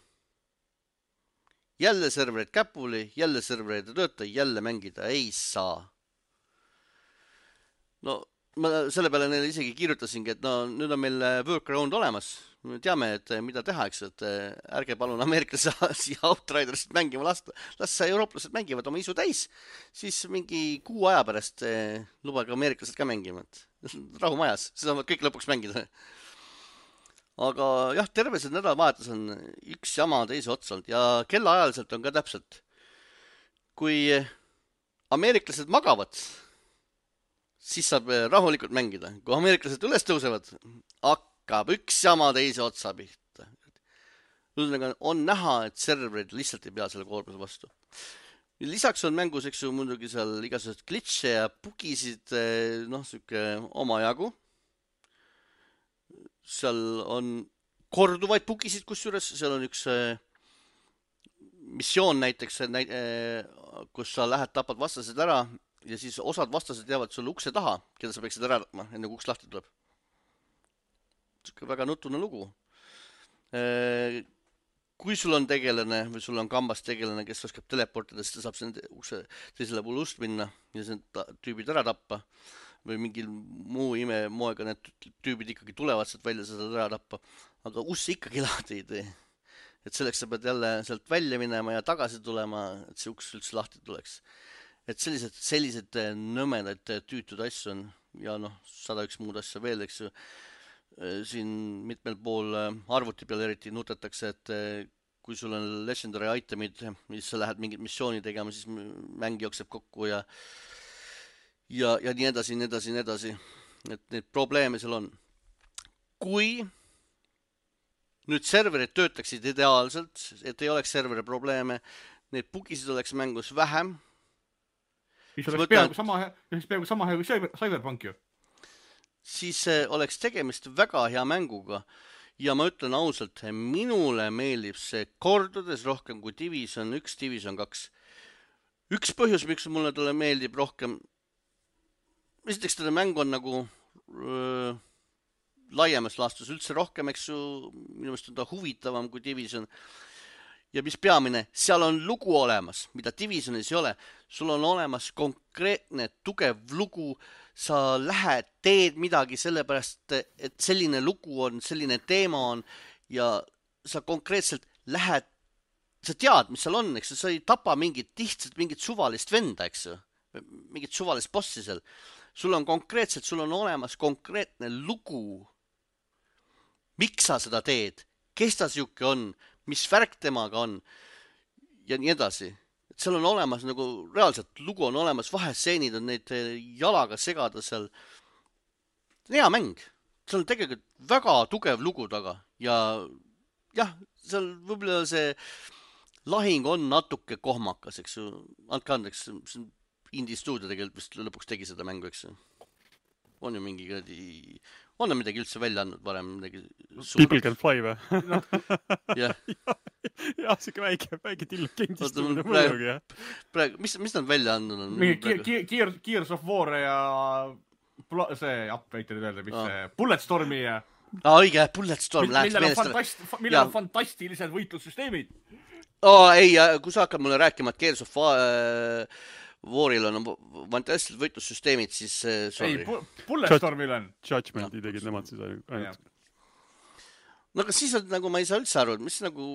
A: Jälle serverid käpuli, jälle serverid tööta, jälle mängida ei saa. No, ma selle peale neile isegi kirjutasingi, et no nüüd on meil workaround olemas. Me teame, et mida teha, eks, et ärge palun ameeriklase siia Outriderist mängima lasta. Las eurooplased mängivad oma isu täis, siis mingi kuu aja pärast lubage ameeriklased ka mängima. Rahu majas, siis saavad kõik lõpuks mängida. Aga jah, terve see nädalavahetus on üks jama teise otsalt ja kellaajaliselt on ka täpselt. Kui ameeriklased magavad, siis saab rahulikult mängida. Kui ameeriklased üles tõusevad, hakkab üks jama teise otsa pihta. On näha, et serverid lihtsalt ei pea selle koormuse vastu. Lisaks on mängus, eks ju, muidugi seal igasugused glitche ja bugisid, noh, süke omajagu. Seal on korduvaid bugisid, kusjuures seal on üks missioon näiteks, kus sa lähed, tapad vastased ära ja siis osad vastased jäävad sulle ukse taha, keda sa peaksid ära tapma, enne kui uks lahti tuleb. Väga nutune lugu. Kui sul on tegelane või sul on kambas tegelane, kes oskab teleportida, siis ta saab selle ukse teisele poole ust minna ja see tüübid ära tappa või mingil muu ime moega need tüübid ikkagi tulevad sealt välja seda ära tappa, aga uss ikkagi lahti ei tee. Et selleks sa pead jälle sealt välja minema ja tagasi tulema, et see uks üldse lahti tuleks. Et sellised, sellised nõmedad tüütud asju on ja noh, sada üks muud asja veel, eks ju. Siin mitmel pool arvuti peal eriti nutetakse, et kui sul on legendary itemid, mis sa lähed mingit missiooni tegema, siis mäng jookseb kokku ja ja, ja nii edasi, nii edasi, nii edasi. Et neid probleeme seal on. Kui nüüd serverid töötaksid ideaalselt, et ei oleks serveri probleeme, neid bugisid oleks mängus vähem,
C: Mis oleks peaaegu sama, peaaegu sama hea kui Cyberpunk ju.
A: Siis oleks tegemist väga hea mänguga ja ma ütlen ausalt, minule meeldib see kordades rohkem kui Division üks, Division kaks. üks põhjus, miks mulle talle meeldib rohkem, esiteks teda mäng on nagu öö, laiemas laastus üldse rohkem, eks ju, minu meelest on ta huvitavam kui Division. Ja mis peamine, seal on lugu olemas, mida Divisionis ei ole. Sul on olemas konkreetne tugev lugu, sa lähed, teed midagi sellepärast, et selline lugu on, selline teema on ja sa konkreetselt lähed, sa tead, mis seal on, eks ju, sa ei tapa mingit lihtsalt mingit suvalist venda, eks ju, mingit suvalist bossi seal. Sul on konkreetselt, sul on olemas konkreetne lugu, miks sa seda teed, kes ta siuke on, mis värk temaga on ja nii edasi. Et seal on olemas nagu reaalselt lugu on olemas, vahestseenid on neid jalaga segada seal. Hea mäng. Seal on tegelikult väga tugev lugu taga ja jah, seal võib-olla see lahing on natuke kohmakas, eks ju. Andke andeks, see on Indie Studio tegelikult vist lõpuks tegi seda mängu, eks ju. On ju mingi gradi... On on midagi üldse välja andnud varem midagi
B: suur... People Can Fly või?
A: No. jah,
B: ja, siuke väike, väike tilkendistunud mõjugi, jah.
A: Praegu, mis, mis nad välja andnud on?
C: Mingi Gears, Gears of War ja see, jah, väike nüüd öelda, mis ah. see, Bulletstormi ja...
A: Aa, õige, Bulletstorm läheks
C: meelest. Fantast, millel on fantastilised võitlussüsteemid.
A: Oo, ei, kui sa hakkad mulle rääkima, et Gears of War... Waril on fantastilised võitlussüsteemid, siis sorry.
C: Ei, Bulletstormil on.
B: Judgmenti tegid nemad siis ainult.
A: No aga siis on nagu, ma ei saa üldse aru, mis nagu,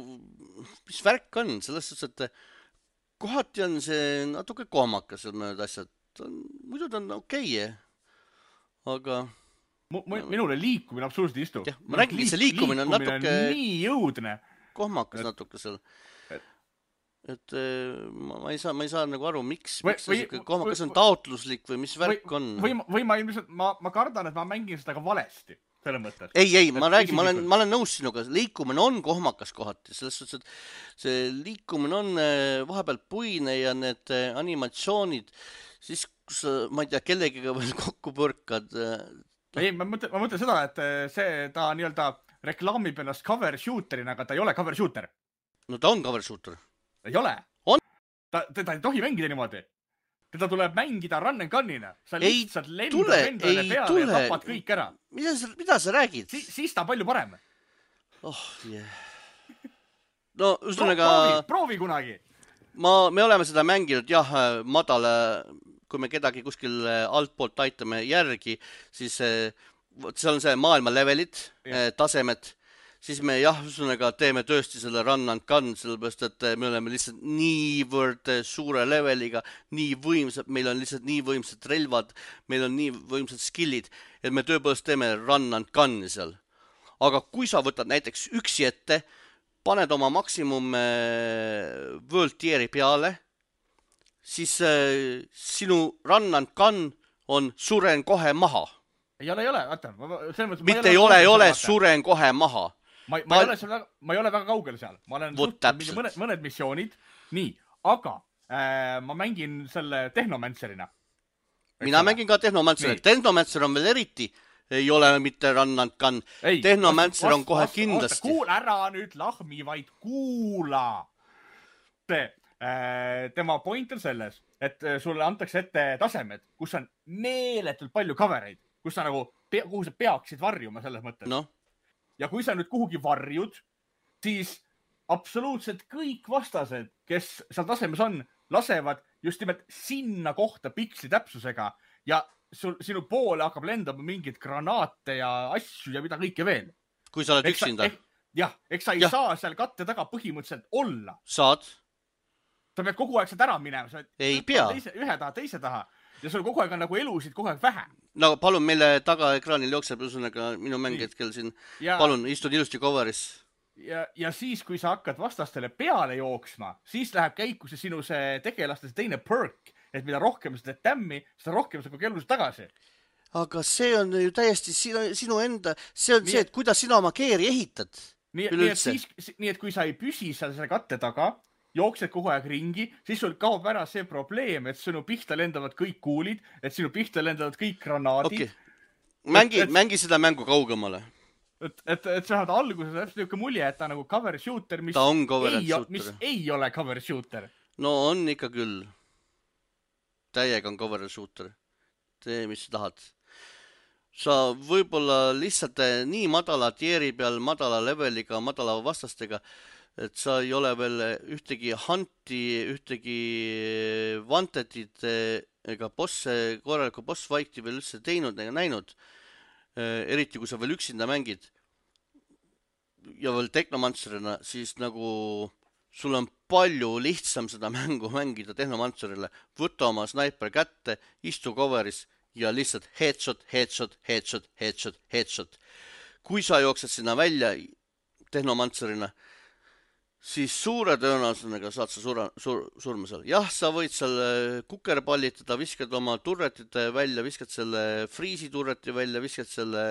A: mis värk on, selles suhtes, et kohati on see natuke kohmakas mõned asjad. Muidu ta on okei, aga...
C: Minule liikumine absoluutselt ei istu.
A: Jah, ma räägin, see liikumine on natuke...
C: nii jõudne.
A: Kohmakas natuke seal. Et ma, ma ei saa, ma ei saa nagu aru, miks, miks või, see kohma, kas on taotluslik või mis värk
C: või,
A: on?
C: Või, või ma ilmselt, ma, ma kardan, et ma mängin seda ka valesti, selle mõttes.
A: Ei, ei, ma räägin, ma olen, ma olen nõus sinuga, liikumine on kohmakas kohati, selles suhtes, et see liikumine on vahepeal puine ja need animatsioonid, siis kus ma ei tea, kellegiga veel kokku põrkad.
C: Ei, ma mõtlen, ma mõtlen seda, et see, ta nii-öelda reklaamib ennast cover shooterina, aga ta ei ole cover shooter.
A: No ta on cover shooter.
C: Ei ole.
A: On?
C: Ta, teda ei tohi mängida niimoodi. Teda tuleb mängida run and gun'ina. Sa
A: ei
C: lihtsalt lendad endale peale tule. Ja tapad kõik ära.
A: Mida sa, mida sa räägid?
C: Si, siis ta palju parem.
A: Oh, yeah. No, üstunega...
C: Proovi, proovi kunagi.
A: Ma, me oleme seda mänginud, jah, madala, kui me kedagi kuskil altpoolt aitame järgi, siis seal on see maailma levelid, ja. tasemed. Siis me jah, üstunega teeme tõesti selle run and gun, sellepärast, et me oleme lihtsalt niivõrd suure leveliga, nii võimsad, meil on lihtsalt nii võimsad relvad, meil on nii võimsad skillid, et me tõepoolest teeme run and gun'i seal. Aga kui sa võtad näiteks üksi ette, paned oma maksimum world tier'i peale, siis sinu run and gun on suren kohe maha.
C: Ei ole, ei ole, vaata.
A: Mitte ei ole, ei ole, suren kohe maha.
C: Ma, ma, ei ole seal, ma ei ole väga kaugel seal. Ma olen mõned, mõned missioonid. Nii, aga äh, ma mängin selle Tehnomancerina.
A: Mina ole? mängin ka Tehnomancerina. Tehnomancer on veel eriti. Ei ole mitte run and gun. Ei, Tehnomancer vast, on kohe vast, kindlasti.
C: Kuula ära nüüd lahmi, vaid kuula. Te, äh, tema point on selles, et sulle antakse ette tasemed, kus on meeletult palju covereid, kus sa nagu, kuhu sa peaksid varjuma selles mõttes.
A: No.
C: Ja kui sa nüüd kuhugi varjud, siis absoluutselt kõik vastased, kes seal tasemes on, lasevad just nimelt sinna kohta piksli täpsusega ja sul, sinu poole hakkab lendama mingid granaate ja asju ja mida kõike veel.
A: Kui sa oled eks üksinda.
C: Ek, jah, eks sa ei ja. saa seal katte taga põhimõtteliselt olla.
A: Saad.
C: Sa pead kogu aeg sealt ära minema. Sa
A: ei pea.
C: Teise, ühe taha, teise taha. Ja sul kogu aeg on nagu elusid kogu aeg vähe.
A: No palun, meile taga ekraanil jookseb üsõnaga minu mäng hetkel siin. Ja, palun, istun ilusti coveris.
C: Ja, ja siis, kui sa hakkad vastastele peale jooksma, siis läheb käiku see sinu see tegelaste see teine perk, et mida rohkem sa teed tämmi, seda rohkem sa kogu elusid tagasi.
A: Aga see on ju täiesti sinu, sinu enda, see on nii, see, et kuidas sina oma keeri ehitad.
C: Nii, nii, et siis, nii, et kui sa ei püsi seal selle katte taga, jooksed kogu aeg ringi, siis sul kaob ära see probleem, et sinu pihta lendavad kõik kuulid, et sinu pihta lendavad kõik granaadid.
A: Okay. Mängi, et, mängi seda mängu kaugemale.
C: Et, et, et sa saad alguses täpselt niisugune mulje, et ta nagu cover shooter, mis,
A: ta on cover
C: ei,
A: shooter.
C: mis ei ole cover shooter.
A: No on ikka küll. täiega on cover shooter. Tee, mis sa tahad. Sa võib-olla lihtsalt nii madala tier'i peal, madala leveliga, madala vastastega, et sa ei ole veel ühtegi hunti, ühtegi wantetit ega bosse, korralikku boss fight'i veel üldse teinud ega näinud. Eriti kui sa veel üksinda mängid ja veel Technomancerina, siis nagu sul on palju lihtsam seda mängu mängida Technomancerile. Võta oma sniper kätte, istu coveris ja lihtsalt headshot, headshot, headshot, headshot, headshot. Kui sa jooksed sinna välja Technomancerina, siis suure tõenäosusega saad sa sura, sur, surma seal. Jah, sa võid seal kukerpallitada, viskad oma turretite välja, viskad selle freezy turreti välja, viskad selle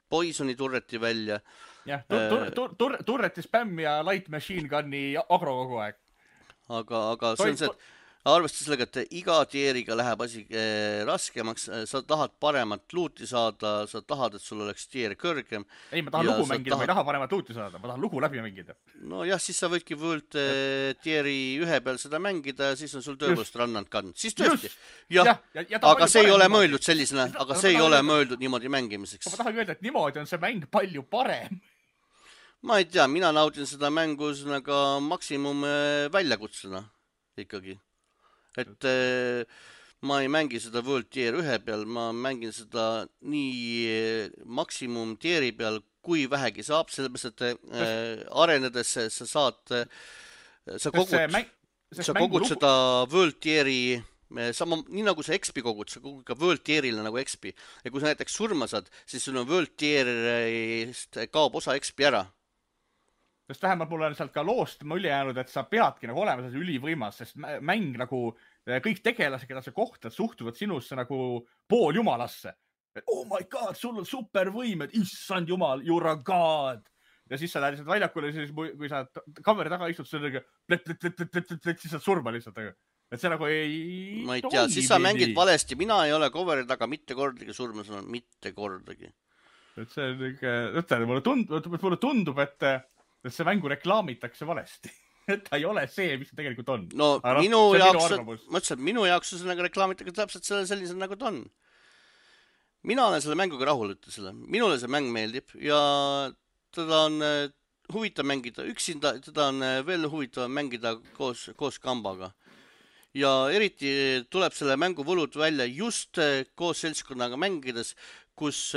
A: poisoni turreti välja.
C: Jah, tur, tur, tur, turreti spämm ja light machine gunni agro kogu aeg.
A: Aga, aga see on see, et arvestada sellega, et iga tier'iga läheb asi eh, raskemaks, sa tahad paremat luuti saada, sa tahad, et sul oleks tier kõrgem.
C: Ei, ma tahan lugu mängida, tahad... ma ei taha paremat luuti saada, ma tahan lugu läbi mängida.
A: No jah, siis sa võidki võõlt eh, tier'i ühe peal seda mängida ja siis on sul tõepoolest rannand kandnud. Siis tõesti, jah, ja, ja, ja aga see ei ole niimoodi. Mõeldud sellisena, aga see ei ole öelda... mõeldud niimoodi mängimiseks.
C: Ma tahan öelda, et niimoodi on see mäng palju parem.
A: Ma ei tea, mina naudin seda mängu nagu maksimum väljakutsena ikkagi. Et äh, ma ei mängi seda World Tier ühe peal, ma mängin seda nii maksimum tier'i peal, kui vähegi saab, sellepärast, et äh, arenedes sa saad, sa kogud, mäng, sa kogud lugu... seda World Tier'i, sama, nii nagu sa X P kogud, sa kogud ka World Tier'ile nagu X P. Ja kui sa näiteks surma saad, siis sul on World Tier'ist kaob osa X P ära.
C: Sest vähemalt mul on sealt ka loost mulje jäänud, et sa peadki nagu olema selles ülivõimas, sest mäng nagu kõik tegelased, keda sa kohtad, suhtuvad sinusse nagu pool jumalasse. Oh my god, sul on supervõimed, issand jumal, you're a god. Ja siis sa lähed lihtsalt väljakule, siis kui sa kameri taga istud, siis sa surma lihtsalt. Et see nagu ei...
A: Ma ei tea, siis sa mängid valesti. Mina ei ole coveri taga mitte kordagi surma saanud, mitte kordagi.
C: Et see on ikka... Mulle tundub, mulle tundub, et et see mängu reklaamitakse valesti. Et ta ei ole see, mis see tegelikult on.
A: No Aga minu jaoks, ma ütlesin, minu jaoks see nagu reklaamitakse täpselt sellise nagu ta on. Mina olen selle mänguga rahul, ütle selle. Minule see mäng meeldib ja teda on huvitav mängida üksinda, teda on veel huvitav mängida koos, koos kambaga. Ja eriti tuleb selle mängu võlud välja just koos seltskonnaga mängides, kus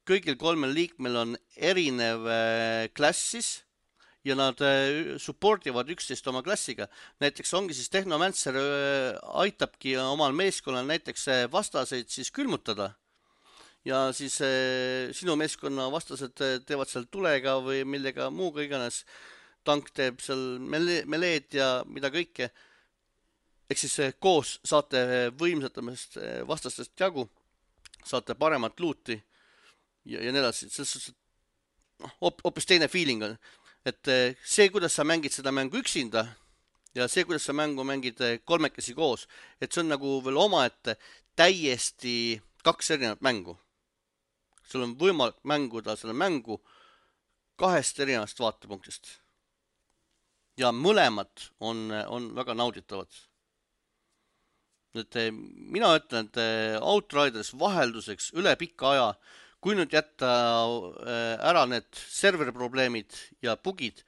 A: kõigil kolmel liikmel on erinev klassis ja nad supportivad üksteist oma klassiga. Näiteks ongi siis Technomancer aitabki omal meeskonnal näiteks vastaseid siis külmutada. Ja siis sinu meeskonna vastased teevad seal tulega või millega muuga iganes. Tank teeb seal meleed ja mida kõike. Ehk siis koos saate võimsatamast vastastest jagu, saate paremat luuti. Ja, ja nii edasi, selles suhtes, et hoopis teine feeling on, et see, kuidas sa mängid seda mängu üksinda ja see, kuidas sa mängu mängid kolmekesi koos, et see on nagu veel oma, et täiesti kaks erinevat mängu. Sul on võimalik mänguda selle mängu kahest erinevast vaatepunktist. Ja mõlemad on, on väga nauditavad. Et mina ütlen, et Outriders vahelduseks üle pikka aja kui nüüd jätta ära need serverprobleemid ja bugid,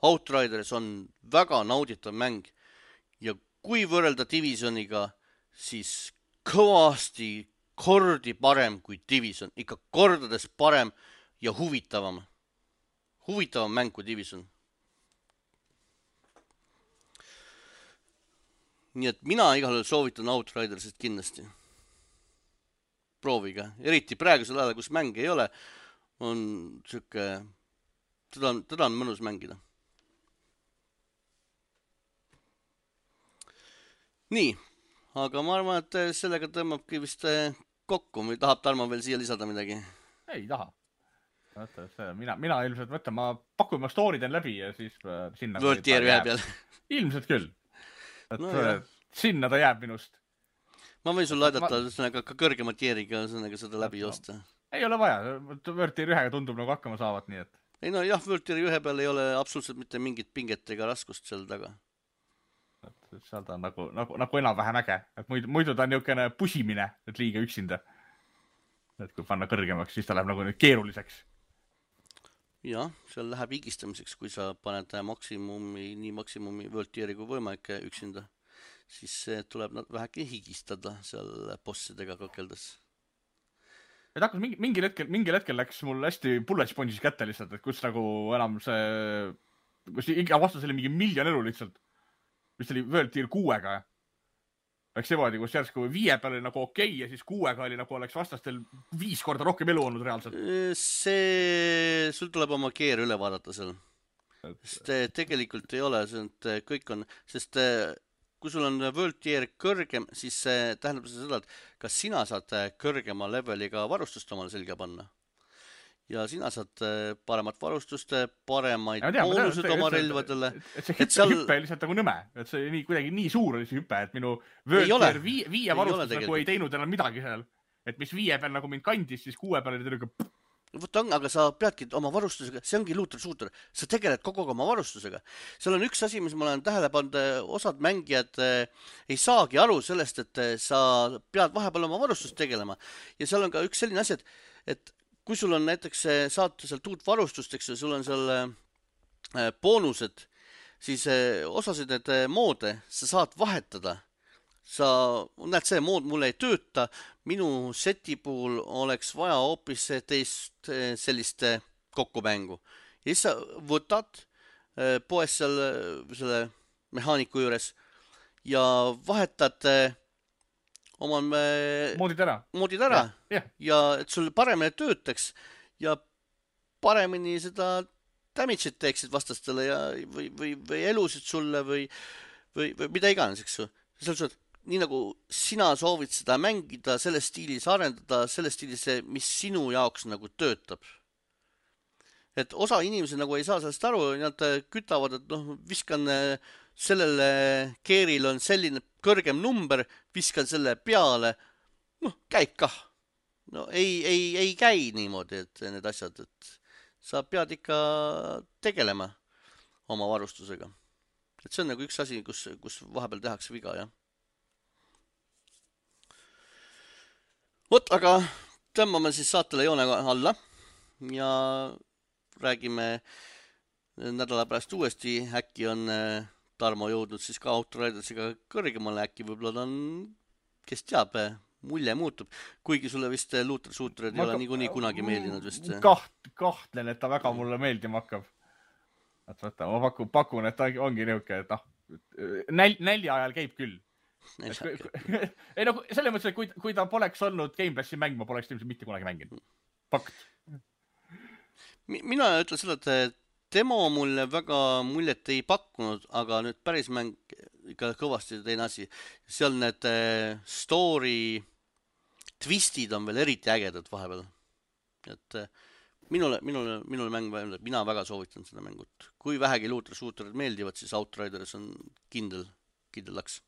A: Outriders on väga nauditav mäng. Ja kui võrrelda Divisioniga, siis kõvasti kordi parem kui Division. Ikka kordades parem ja huvitavam. Huvitavam mäng kui Division. Nii et mina igal juhul soovitan Outridersit kindlasti. Proovige. Eriti praegusel ajal, kus mänge ei ole, on siuke, teda on, teda on mõnus mängida. Nii, aga ma arvan, et sellega tõmbabki vist kokku. Või tahab Tarmo veel siia lisada midagi?
C: Ei taha. Mina, mina ilmselt mõtlen, ma pakun ma story den läbi ja siis sinna...
A: World Tier ühe peal.
C: Ilmselt küll. Et no, sinna ta jääb minust.
A: Ma võin sul aidata ma... ka kõrgema tieriga seda läbi joosta.
C: Ei ole vaja. World Tier ühega tundub nagu hakkama saavat, nii et...
A: Ei no jah, World Tier ühe peal ei ole absoluutselt mitte mingit pinget ega raskust seal taga.
C: seal ta on nagu, nagu, nagu enam-vähem äge, et muidu, muidu ta on niisugune pusimine, et liiga üksinda. Et kui panna kõrgemaks, siis ta läheb nagu nüüd keeruliseks.
A: jah, seal läheb higistamiseks, kui sa paned maksimumi, nii maksimumi World Tieri kui võimalik üksinda, siis tuleb nad vähegi higistada seal bossidega kakeldes.
C: et hakkas mingi, mingil hetkel, mingil hetkel läks mul hästi bullet sponge'is kätte lihtsalt, et kus nagu enam see, kus iga vastus oli mingi miljon elu lihtsalt, mis oli World Tier kuuega. Läks seevaadi, kus järsku viie peal oli nagu okei okay, ja siis kuuega oli nagu oleks vastastel viis korda rohkem elu olnud reaalselt.
A: See, sul tuleb oma keer üle vaadata seal. Sest tegelikult ei ole, see kõik on, sest kui sul on World Tier kõrgem, siis see tähendab seda, et kas sina saad kõrgema leveliga varustust omale selga panna. Ja sina saad paremat varustust, paremaid boonused oma relvadele.
C: Et see hüppe, seal... hüppe lihtsalt nagu nõme. Et see nii, kuidagi nii suur oli see hüppe, et minu World Tier viie, viie varustus nagu ei teinud enam midagi seal. Et mis viie peal nagu mind kandis, siis kuue peal oli tõrga...
A: Võt on, aga sa peadki oma varustusega, see ongi looter-shooter, sa tegeled kogu aeg oma varustusega. Seal on üks asi, mis ma olen tähele pannud, osad mängijad ei saagi aru sellest, et sa pead vahepeal oma varustust tegelema. Ja seal on ka üks selline asi, et, et kui sul on näiteks saad sealt uut varustust, eks sul on seal boonused, siis osasid need moode sa saad vahetada. Sa näed, see mood mulle ei tööta, minu seti puhul oleks vaja hoopis teist sellist kokkupängu. Ja siis sa võtad poes seal selle mehaaniku juures ja vahetad oma
C: moodid ära,
A: moodid ära. Ja, ja et sul paremini töötaks ja paremini seda damage'it teeksid vastastele ja, või, või, või elusid sulle või, või, või mida iganes, eks ju. Seal sul nii nagu sina soovid seda mängida, selles stiilis arendada, selles stiilis, mis sinu jaoks nagu töötab. Et osa inimesi nagu ei saa sellest aru, nad kütavad, et noh, viskan sellele keeril on selline kõrgem number, viskan selle peale, noh, käib kah. No ei, ei, ei käi niimoodi, et need asjad, et sa pead ikka tegelema oma varustusega. Et see on nagu üks asi, kus, kus vahepeal tehakse viga, jah. Vot, aga tõmbame siis saatele joone alla ja räägime nädala pärast uuesti. Äkki on Tarmo jõudnud siis ka Outridersiga kõrgemale, äkki võib-olla on, kes teab, mulje muutub. Kuigi sulle vist looter-shooterid ei ole niikuinii kunagi meeldinud vist.
C: Kaht, kahtlen, et ta väga mulle meeldima hakkab. Et võtta, ma pakun, pakun, et ta ongi niuke, et noh, näl, nälja ajal käib küll. ei no selle mõttes, et kui, kui ta poleks olnud Game Passi mäng, ma poleks ilmselt mitte kunagi mänginud. Fakt.
A: Mina ütlen seda, et demo mulle väga muljet ei pakkunud, aga nüüd päris mäng ikka kõvasti teine asi. Seal need story twistid on veel eriti ägedad vahepeal. Et minule, minule, minule mäng, mina väga soovitan seda mängut. Kui vähegi looter-shooterid meeldivad, siis Outriders on kindel, kindel laks.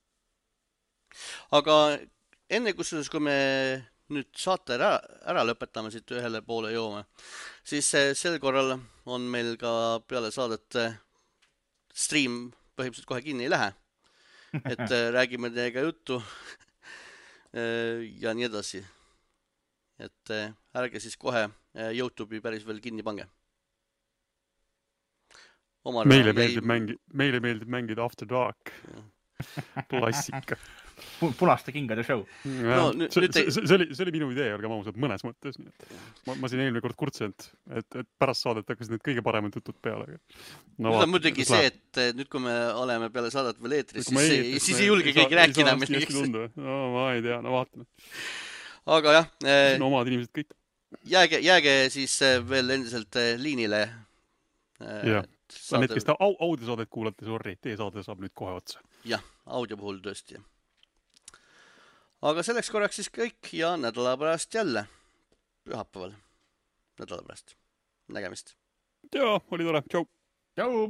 A: Aga enne kusjuures, kui me nüüd saate ära, ära lõpetame siit ühele poole joome, siis sel korral on meil ka peale saadet stream põhimõtteliselt kohe kinni ei lähe. Et räägime teiega juttu ja nii edasi. Et ärge siis kohe YouTube'i päris veel kinni pange.
B: Omar meile, meeldib jäi... mängi... meile meeldib mängida After Dark. Klassika.
C: Punaste kingade show.
B: No, nüüd, see, see, see, oli, see oli minu idee, olga mausad mõnes mõttes. Ma, ma siin eelmine kord kurtsenud, et, et pärast saadet hakkasid need kõige paremad jutud peale.
A: No, nüüd on muidugi see, et nüüd kui me oleme peale saadet veel eetris, siis, eetris, siis ei julge keegi rääkida.
B: No ma ei tea, no vaatame.
A: Aga jah.
B: Siin omad inimesed kõik.
A: Jääge, jääge siis veel endiselt liinile.
B: Jah. Saade... Need, kes ta au, audiosaadet kuulate, sorry, teie saade saab nüüd kohe otsa.
A: Jah, audio puhul tõesti. Aga selleks korraks siis kõik ja nädala pärast jälle pühapäeval nädala pärast. Nägemist.
B: Joo, oli tore. Tšau.
C: Tšau.